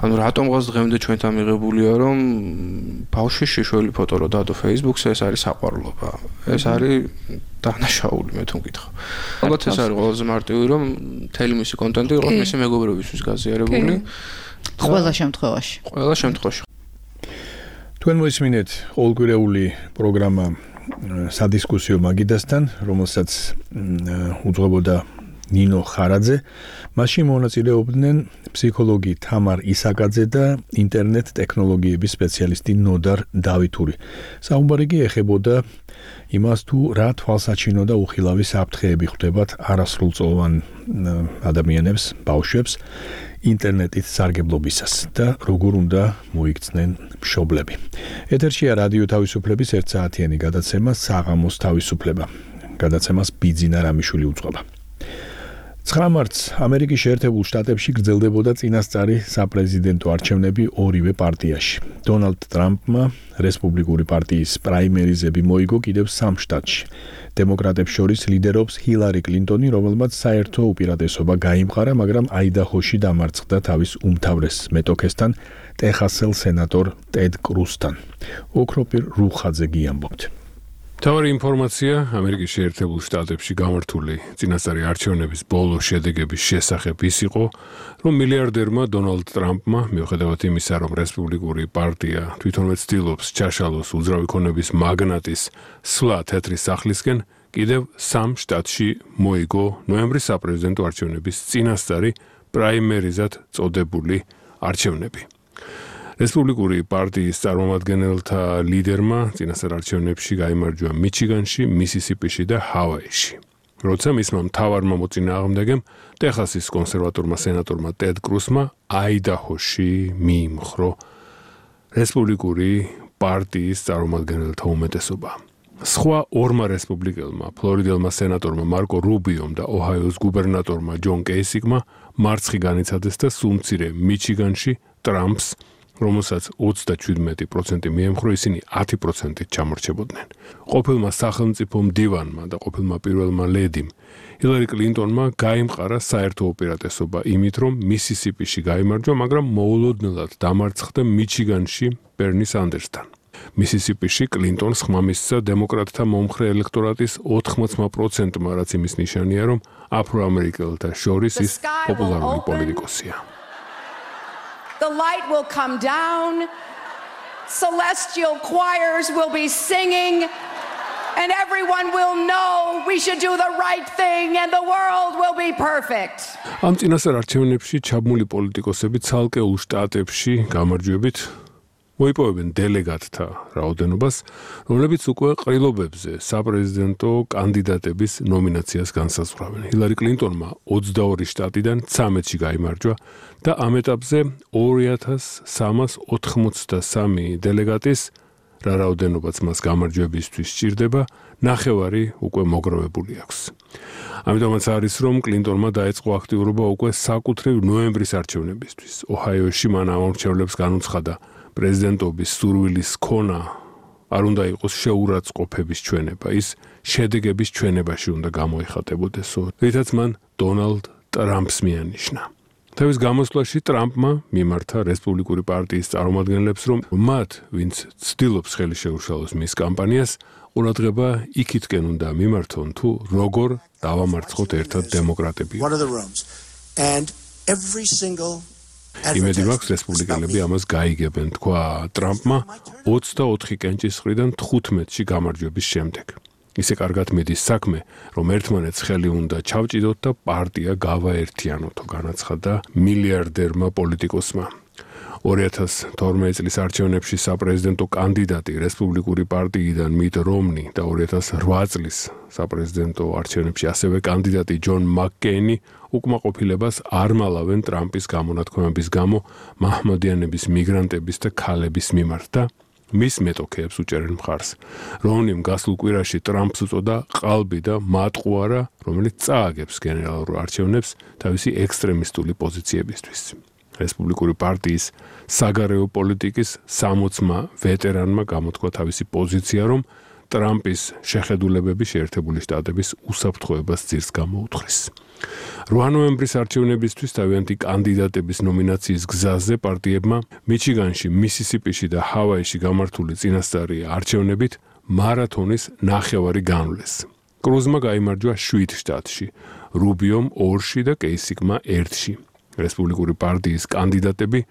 ანუ რატომღაც დღემდე ჩვენთან მიღებულია, რომ ბავშვის შეშველი ფოტო რო დადო Facebook-ზე, ეს არის საყვარლობა. ეს არის დანაშაული, მე თუ მკითხავ. ალბათ ეს არის ყველაზე მარტივი, რომ მთელი მისი კონტენტი იყოს მისი მეგობრებისთვის გაზიარებული. ყველა შემთხვევაში. ყველა შემთხვევაში. თქვენ მოისმინეთ ყოველკვირეული პროგრამა სადისკუსიო მაგიდასთან, რომელსაც უძღვებოდა ნინო ხარაძე. მასში მონაწილეობდნენ ფსიქოლოგი თამარ ისაკაძე და ინტერნეტ ტექნოლოგიების სპეციალისტი ნოდარ დავითური. საუბარი კი ეხებოდა იმას თუ რა თვალსაჩინო და უხილავი საფრთხეები ხვდებათ არასრულწლოვან ადამიანებს, ბავშვებს ინტერნეტით სარგებლობისას და როგორ უნდა მოიქცნენ მშობლები. ეთერშია რადიო თავისუფლების 1 საათიანი გადაცემა საღამოს თავისუფლება. გადაცემას ბიძინა რამიშვილი უძღვება. 9 მარტს ამერიკის შეერთებულ შტატებში გრძელდებოდა წინასწარი საპრეზიდენტო არჩევნები ორივე პარტიაში. დონალდ ტრამპმა რესპუბლიკური პარტიის პრაიმერიზები მოიგო კიდევ 3 შტატში. დემოკრატებს შორის ლიდერობს ჰილარი კლინტონი, რომელმაც საერთო უპირატესობა გაიმყარა, მაგრამ აიდაჰოში დამარცხდა თავის უმთავრეს მეტოქესთან, ტეხასელ სენატორ ტედ კრუსთან. ოქროპირ რუხაძე გიამბობთ. თავარი ინფორმაცია ამერიკის შეერთებულ შტატებში გამართული წინასწარი არჩევნების ბოლო შედეგების შესახებ ის იყო, რომ მილიარდერმა დონალდ ტრამპმა, მიუხედავად იმისა, რომ რესპუბლიკური პარტია თვითონვე ცდილობს ჩაშალოს უძრავი ქონების მაგნატის სვლა თეთრი სახლისკენ, კიდევ 3 შტატში მოიგო ნოემბრის საპრეზიდენტო არჩევნების წინასწარი პრაიმერიზად წოდებული არჩევნები. რესპუბლიკური პარტიის წარმომადგენელთა ლიდერმა წინასწარ არჩევნებში გაიმარჯვა მიჩიგანში, მისისიპიში და ჰავაიში. როცა მისმა მთავარმა მოწინააღმდეგემ, ტეხასის კონსერვატორმა სენატორმა ტედ კრუსმა აიდაჰოში მიიმხრო რესპუბლიკური პარტიის წარმომადგენელთა უმეტესობა. სხვა ორმა რესპუბლიკელმა, ფლორიდელმა სენატორმა მარკო რუბიომ და ოჰაიოს გუბერნატორმა ჯონ კეისიკმა მარცხი განიცადეს და სულ მცირე მიჩიგანში ტრამპს რომელსაც 37% მიემხრო, ისინი 10%-ით ჩამორჩებოდნენ. ყოფილმა სახელმწიფო მდივანმა და ყოფილმა პირველმა ლედიმ ჰილარი კლინტონმა გაიმყარა საერთო უპირატესობა იმით, რომ მისისიპიში გაიმარჯვა, მაგრამ მოულოდნელად დამარცხდა მიჩიგანში ბერნი სანდერსთან. მისისიპიში კლინტონს ხმა მისცა დემოკრატთა მომხრე ელექტორატის 80%-მა, რაც იმის ნიშანია, რომ აფროამერიკელთა შორის ის პოპულარული პოლიტიკოსია. The light will come down, celestial choirs will be singing, and everyone will know we should do the right thing and the world will be perfect. ამ წინასწარ არჩევნებში ჩაბმული პოლიტიკოსები ცალკეულ შტატებში გამარჯვებით მოიპოვებენ დელეგატთა რაოდენობას, რომლებიც უკვე ყრილობებზე საპრეზიდენტო კანდიდატების ნომინაციას განსაზღვრავენ. ჰილარი კლინტონმა 22 შტატიდან 13-ში გაიმარჯვა და ამ ეტაპზე 2383 დელეგატის რა რაოდენობაც მას გამარჯვებისთვის სჭირდება, 9 უკვე მოგროვებული აქვს. ამიტომაც არის, რომ კლინტონმა დაიწყო აქტიურობა უკვე საკუთრივ ნოემბრის არჩევნებისთვის. ოჰაიოში მან ამორჩევლებს განუცხადა პრეზიდენტობის სურვილის ქონა არ უნდა იყოს შეურაცხყოფების ჩვენება, ის შედეგების ჩვენებაში უნდა გამოიხატებოდესო, რითაც მან დონალდ ტრამპს მიანიშნა. თავის გამოსვლაში ტრამპმა მიმართა რესპუბლიკური პარტიის წარმომადგენლებს, რომ მათ, ვინც ცდილობს ხელი შეუშალოს მის კამპანიას, ყურადღება იქითკენ უნდა მიმართონ, თუ როგორ დავამარცხოთ ერთად დემოკრატები. იმედი მაქვს რესპუბლიკელები ამას გაიგებენ, თქვა ტრამპმა 24 კენჭისყრიდან 15-ში გამარჯვების შემდეგ. ისე კარგად მიდის საქმე, რომ ერთმანეთს ხელი უნდა ჩავჭიდოთ და პარტია გავაერთიანოთო, განაცხადა მილიარდერმა პოლიტიკოსმა. 2012 წლის არჩევნებში საპრეზიდენტო კანდიდატი რესპუბლიკური პარტიიდან მიტ რომნი და 2008 წლის საპრეზიდენტო არჩევნებში ასევე კანდიდატი ჯონ მაკკეინი უკმაყოფილებას არ მალავენ ტრამპის გამონათქვამების გამო მაჰმადიანების, მიგრანტების და ქალების მიმართ და მის მეტოქეებს უჭერენ მხარს. რომნიმ გასულ კვირაში ტრამპს უწოდა ყალბი და მატყუარა, რომელიც წააგებს გენერალურ არჩევნებს თავისი ექსტრემისტული პოზიციებისთვის. რესპუბლიკური პარტიის საგარეო პოლიტიკის 60-მა ვეტერანმა გამოთქვა თავისი პოზიცია, რომ ტრამპის შეხედულებები შეერთებული შტატების უსაფრთხოებას ძირს გამოუთხრის. 8 ნოემბრის არჩევნებისთვის თავიანთი კანდიდატების ნომინაციის გზაზე პარტიებმა მიჩიგანში, მისისიპიში და ჰავაიში გამართული წინასწარი არჩევნებით მარათონის 9 განვლეს. კრუზმა გაიმარჯვა 7 შტატში, რუბიომ 2-ში და კეისიკმა 1-ში. რესპუბლიკური პარტიის კანდიდატები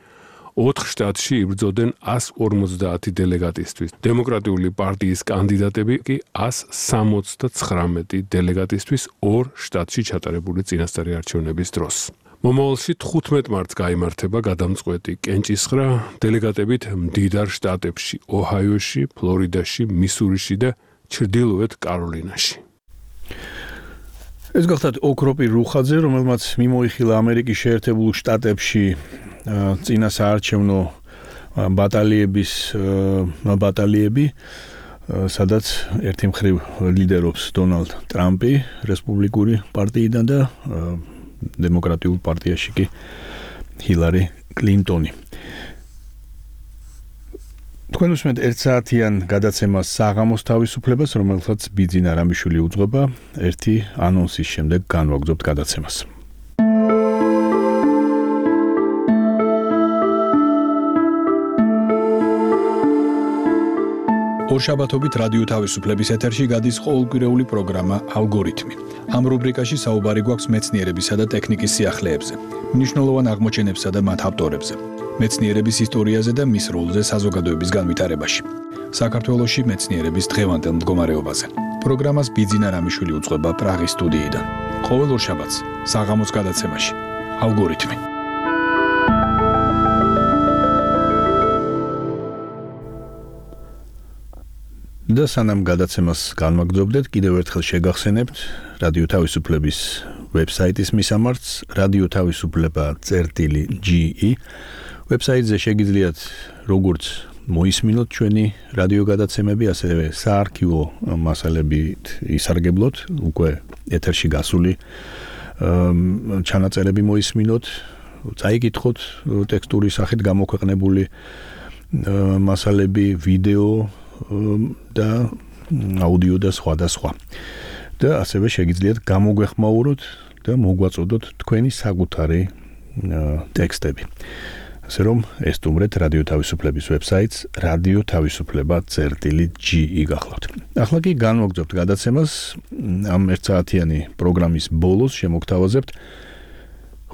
4 შტატში იბრძოდნენ 150 დელეგატისთვის. დემოკრატიული პარტიის კანდიდატები კი 179 დელეგატისთვის 2 შტატში ჩატარებული წინასწარი არჩევნების დროს. მომავალში 15 მარტს გაიმართება გადამწყვეტი კენჭისყრა დელეგატებით მდიდარ შტატებში, ოჰაიოში, ფლორიდაში, მისურიში და ჩრდილოეთ კაროლინაში. ეს გახლავთ ოქროპი რუხაძე, რომელმაც მიმოიხილა ამერიკის შეერთებულ შტატებში წინა საარჩევნო ბატალიები, სადაც ერთი მხრივ ლიდერობს დონალდ ტრამპი რესპუბლიკური პარტიიდან და დემოკრატიულ პარტიაში კი ჰილარი კლინტონი. თქვენ უსმენთ 1 საათიან გადაცემას საღამოს თავისუფლებას, რომელსაც ბიძინა რამიშვილი უძღვება. ერთი ანონსის შემდეგ განვაგრძობთ გადაცემას. ორშაბათობით რადიო თავისუფლების ეთერში გადის ყოველკვირეული პროგრამა ალგორითმი. ამ რუბრიკაში საუბარი გვაქვს მეცნიერებისა და ტექნიკის სიახლეებზე, მნიშვნელოვან აღმოჩენებსა და მათ ავტორებზე, მეცნიერების ისტორიაზე და მის როლზე საზოგადოების განვითარებაში. საქართველოში მეცნიერების დღევანდელ მდგომარეობაზე. პროგრამას ბიძინა რამიშვილი უძღვება პრაღის სტუდიიდან. ყოველ ორშაბათს საღამოს გადაცემაში ალგორითმი. და სანამ გადაცემას განვაგრძობდეთ, კიდევ ერთხელ შეგახსენებთ რადიო თავისუფლების ვებსაიტის მისამართს radiotavisufleba.ge. ვებსაიტზე შეგიძლიათ როგორც მოისმინოთ ჩვენი რადიო გადაცემები, ასევე საარქივო მასალებით ისარგებლოთ, უკვე ეთერში გასული ჩანაწერები მოისმინოთ, წაიკითხოთ ტექსტური სახით გამოქვეყნებული მასალები, ვიდეო და აუდიო და სხვა და სხვა. და ასევე შეგიძლიათ გამოგვეხმაუროთ და მოგვაწოდოთ თქვენი საკუთარი ტექსტები. ასე რომ ესტუმრეთ რადიო თავისუფლების ვებსაიტს radiotavisufleba.gi გახლავთ. ახლა კი განვაგრძობთ გადაცემას ამ ერთსაათიანი პროგრამის ბოლოს შემოგთავაზებთ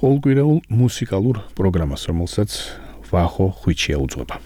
ყოველკვირეულ მუსიკალურ პროგრამას, რომელსაც ვახო ხვიჩია უძღვება.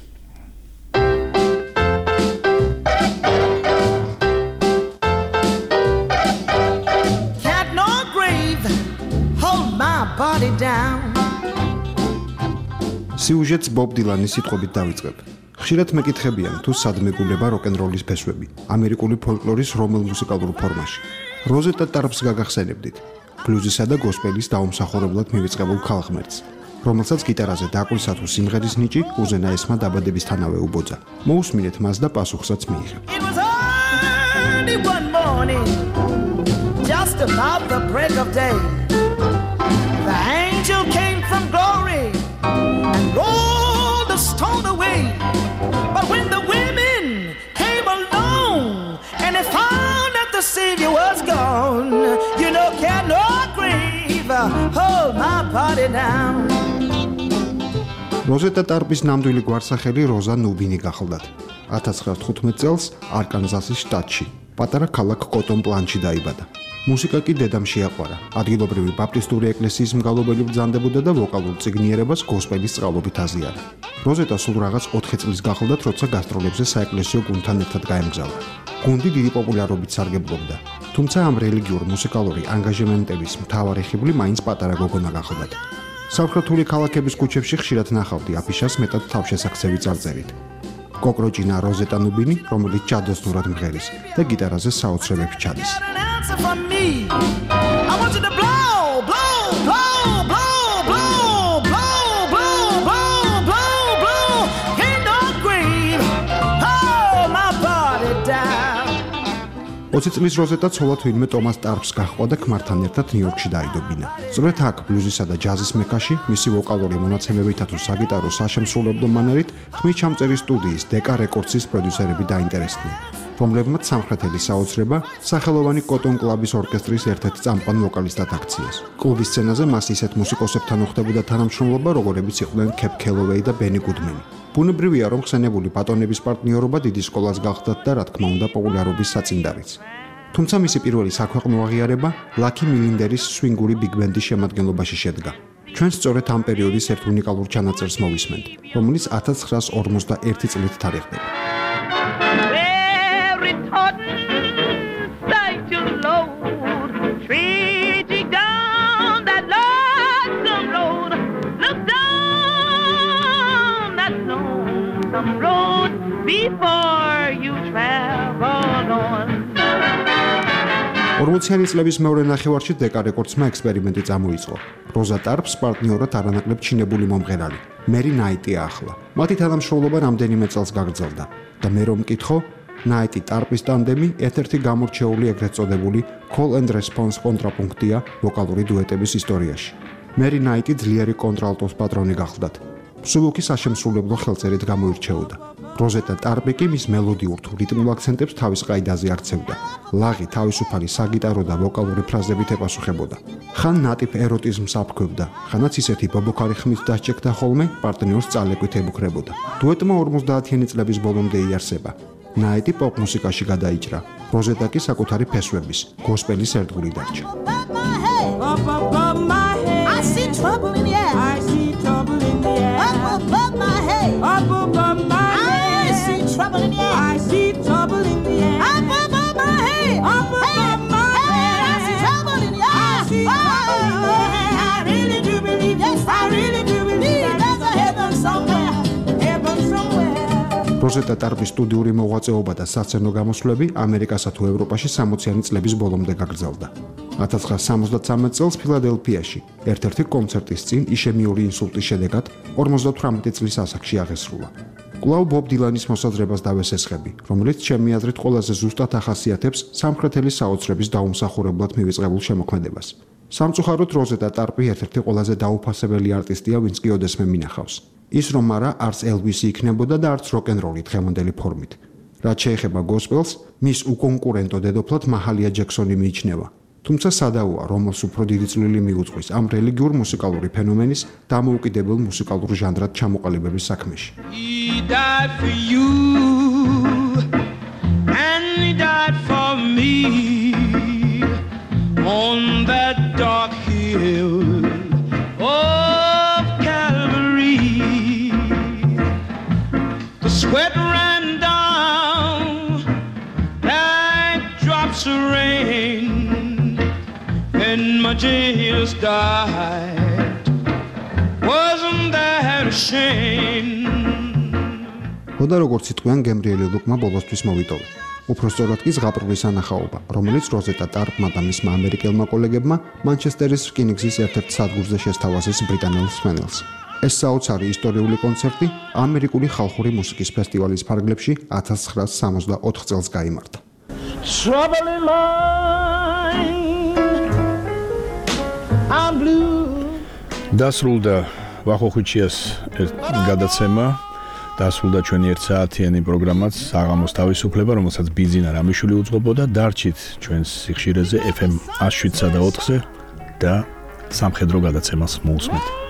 სიუჟეტს ბობ დილანის სიტყვებით დავიწყებ. ხშირად მეკითხებიან თუ სად მეგულება როკ-ენ-როლის ფესვები, ამერიკული ფოლკლორის რომელ მუსიკალურ ფორმაში. როზეტა ტარპს გაგახსენებდით, ბლუზისა და გოსპელის დაუმსახურებლად მივიწყებულ ხალხმერცს, რომელსაც გიტარაზე დაკვისა თუ სიმღერის ნიჭი უზენაესმა დაბადებისთანავე უბოძა. მოусმინეთ მას და პასუხსაც მიიღებ. Just about the break of day, the angel came from glory and rolled the stone away. But when the women came along and they found that the Savior was gone, you know, cannot grieve, hold my body down. როზეტა ტარპის ნამდვილი გვარსახელი როზა ნუბინი გახლდათ. 1915 წელს არკანზასის შტატში, პატარა ქალაქ კოტონ პლანში დაიბადა. მუსიკა კი დედამ შეაყვარა. ადგილობრივი ბაპტისტური ეკლესიის მგალობელი ბრძანდებოდა და ვოკალურ წიგნიერებას გოსპელის სწავლობით აზიარა. როზეტა სულ რაღაც 4 წლის გახლდათ, როცა გასტროლებზე საეკლესიო გუნდთან ერთად გაემგზავრა. გუნდი დიდი პოპულარობით სარგებლობდა, თუმცა ამ რელიგიურ მუსიკალური ანგაჟემენტების მთავარი ხიბლი მაინც პატარა გოგონა გახლდათ. სამხრეთული ქალაქების ქუჩებში ხშირად ნახავდი აფიშას მეტად თავშესახსევი წარწერით. კოკროჭინა როზეტა ნუბინი, რომელიც ჯადოსნურად მღერის და გიტარაზე საოცრებებში ჩადის. For me, I want you to blow, blow, blow, blow, blow, blow, blow, blow, blow, blow, in the grave, hold my body down. 20 წლის როზეტა ცოლად ვინმე ტომას ტარპს გაჰყვა და ქმართან ერთად ნიუ-იორკში დაიდობინა. სწორედ აქ ბლუზისა და ჯაზის მექაში მისი ვოკალური მონაცემებითა თუ საგიტარო საშემსრულებლო მანერით ხმის ჩამწერი სტუდიის დეკა რეკორდსის პროდიუსერები დაინტერესდნენ, რომლებმაც სამხრეთელი საოცრება სახელოვანი კოტონ კლუბის ორკესტრის ერთ-ერთ წამყვან ვოკალისტად აქციეს. კლუბის სცენაზე მას ისეთ მუსიკოსებთან უხდებოდა თანამშრომლობა, როგორებიც იყვნენ კეპ კელოვეი და ბენი გუდმენი. ბუნებრივია, რომ ხსენებული ბატონების პარტნიორობა დიდი სკოლას გახდათ და რა თქმა უნდა პოპულარობის საწინდარიც. თუმცა მისი პირველი საქვეყნო აღიარება ლაკი მილინდერის სვინგური ბიგ-ბენდის შემადგენლობაში შედგა. ჩვენ სწორედ ამ პერიოდის ერთ უნიკალურ ჩანაწერს მოვისმენთ, რომელიც 1951 წლით თარიღდება. Before you travel on. 40-იანი წლების მეორე ნახევარში დეკა რეკორდსმა ექსპერიმენტი წამოიწყო. როზა ტარპს პარტნიორად არანაკლებ ჩინებული მომღერალი მერი ნაიტი ახლა. მათი თანამშრომლობა რამდენიმე წელს გაგრძელდა და მე რომ მკითხო, ნაიტი ტარპის ტანდემი ერთ-ერთი გამორჩეული ეგრეთ წოდებული call and response კონტრაპუნქტია ვოკალური დუეტების ისტორიაში. მერი ნაიტი ძლიერი კონტრალტოს პატრონი გახლდათ. სულუქის საშემსრულებლო ხელწერით გამოირჩეოდა. როზეტა ტარპი კი მის მელოდიურ თუ რიტმულ აქცენტებს თავის ყაიდაზე აქცევდა. ლაღი თავისუფალი საგიტარო და ვოკალური ფრაზებით ეპასუხებოდა. ხან ნატიფ ეროტიზმს აფქვევდა, ხანაც ისეთი ბობოქარი ხმით დასჭექდა ხოლმე პარტნიორს წალეკვით ებუქრებოდა. დუეტმა 50-იანი წლების ბოლომდე იარსება. ნაიტი პოპ მუსიკაში გადაიჭრა. როზეტა კი საკუთარი ფესვების, გოსპელის ერთგული დარჩა. Trouble in the air. I see trouble in the air. Up above my head. Up above my head. I see trouble in the air. I see trouble in the air. Up above my head. Up above my head. I see trouble in the air. I see trouble in the air. I really do believe. Yes, I really do believe. There's a heaven somewhere. Heaven somewhere. როზეტა ტარპის სტუდიური მოღვაწეობა და სასცენო გამოსვლები ამერიკასა თუ ევროპაში 60-იანი წლების ბოლომდე გაგრძელდა. 1973 წელს ფილადელფიაში ერთ-ერთი კონცერტის წინ იშემიური ინსულტის შედეგად 58 წლის ასაკში აღესრულა. კვლავ ბობ დილანის მოსაზრებას დავესესხები, რომელიც ჩემი აზრით ყველაზე ზუსტად ახასიათებს სამხრეთელი საოცრების დაუმსახურებლად მივიწყებულ შემოქმედებას. სამწუხაროდ როზეტა ტარპი ერთ-ერთი ყველაზე დაუფასებელი არტისტია, ვინც კი ოდესმე მინახავს. ის რომ არა, არც ელვისი იქნებოდა და არც როკ-ენ-როლი დღევანდელი ფორმით. რაც შეეხება გოსპელს, მის უკონკურენტო დედოფლად მაჰალია ჯექსონი მიიჩნევა. თუმცა სადავოა, რომელს უფრო დიდი წვლილი მიუძღვის ამ რელიგიურ მუსიკალური ფენომენის დამოუკიდებელ მუსიკალურ ჟანრად ჩამოყალიბების საქმეში. He died for you and he died for me on that dark hill of Calvary. The sweat ran down like drops of rain when my Jesus died. Wasn't that a shame? ხოდა როგორც იტყვიან გემრიელი ლუკმა ბოლოსთვის მოვიტოვე. უფრო სწორად კი ზღაპრვის ანახაობა, რომელიც როზეტა ტარპმა და მისმა ამერიკელმა კოლეგებმა მანჩესტერის რკინიგზის ერთ-ერთ სადგურზე შესთავაზეს ბრიტანელ მსმენელს. ეს საოცარი ისტორიული კონცერტი ამერიკული ხალხური მუსიკის ფესტივალის ფარგლებში 1964 წელს გაიმართა. Trouble in mind, I'm blue. დასრულდა ვახოხუჩიას გადაცემა. დასრულდა ჩვენი 1 საათიანი პროგრამაც საღამოს თავისუფლება, რომელსაც ბიზინა რამიშვილი უძღვებოდა. დარჩით ჩვენს სიხშირეზე FM 107.4-ზე და სამხედრო გადაცემას მოусმენთ.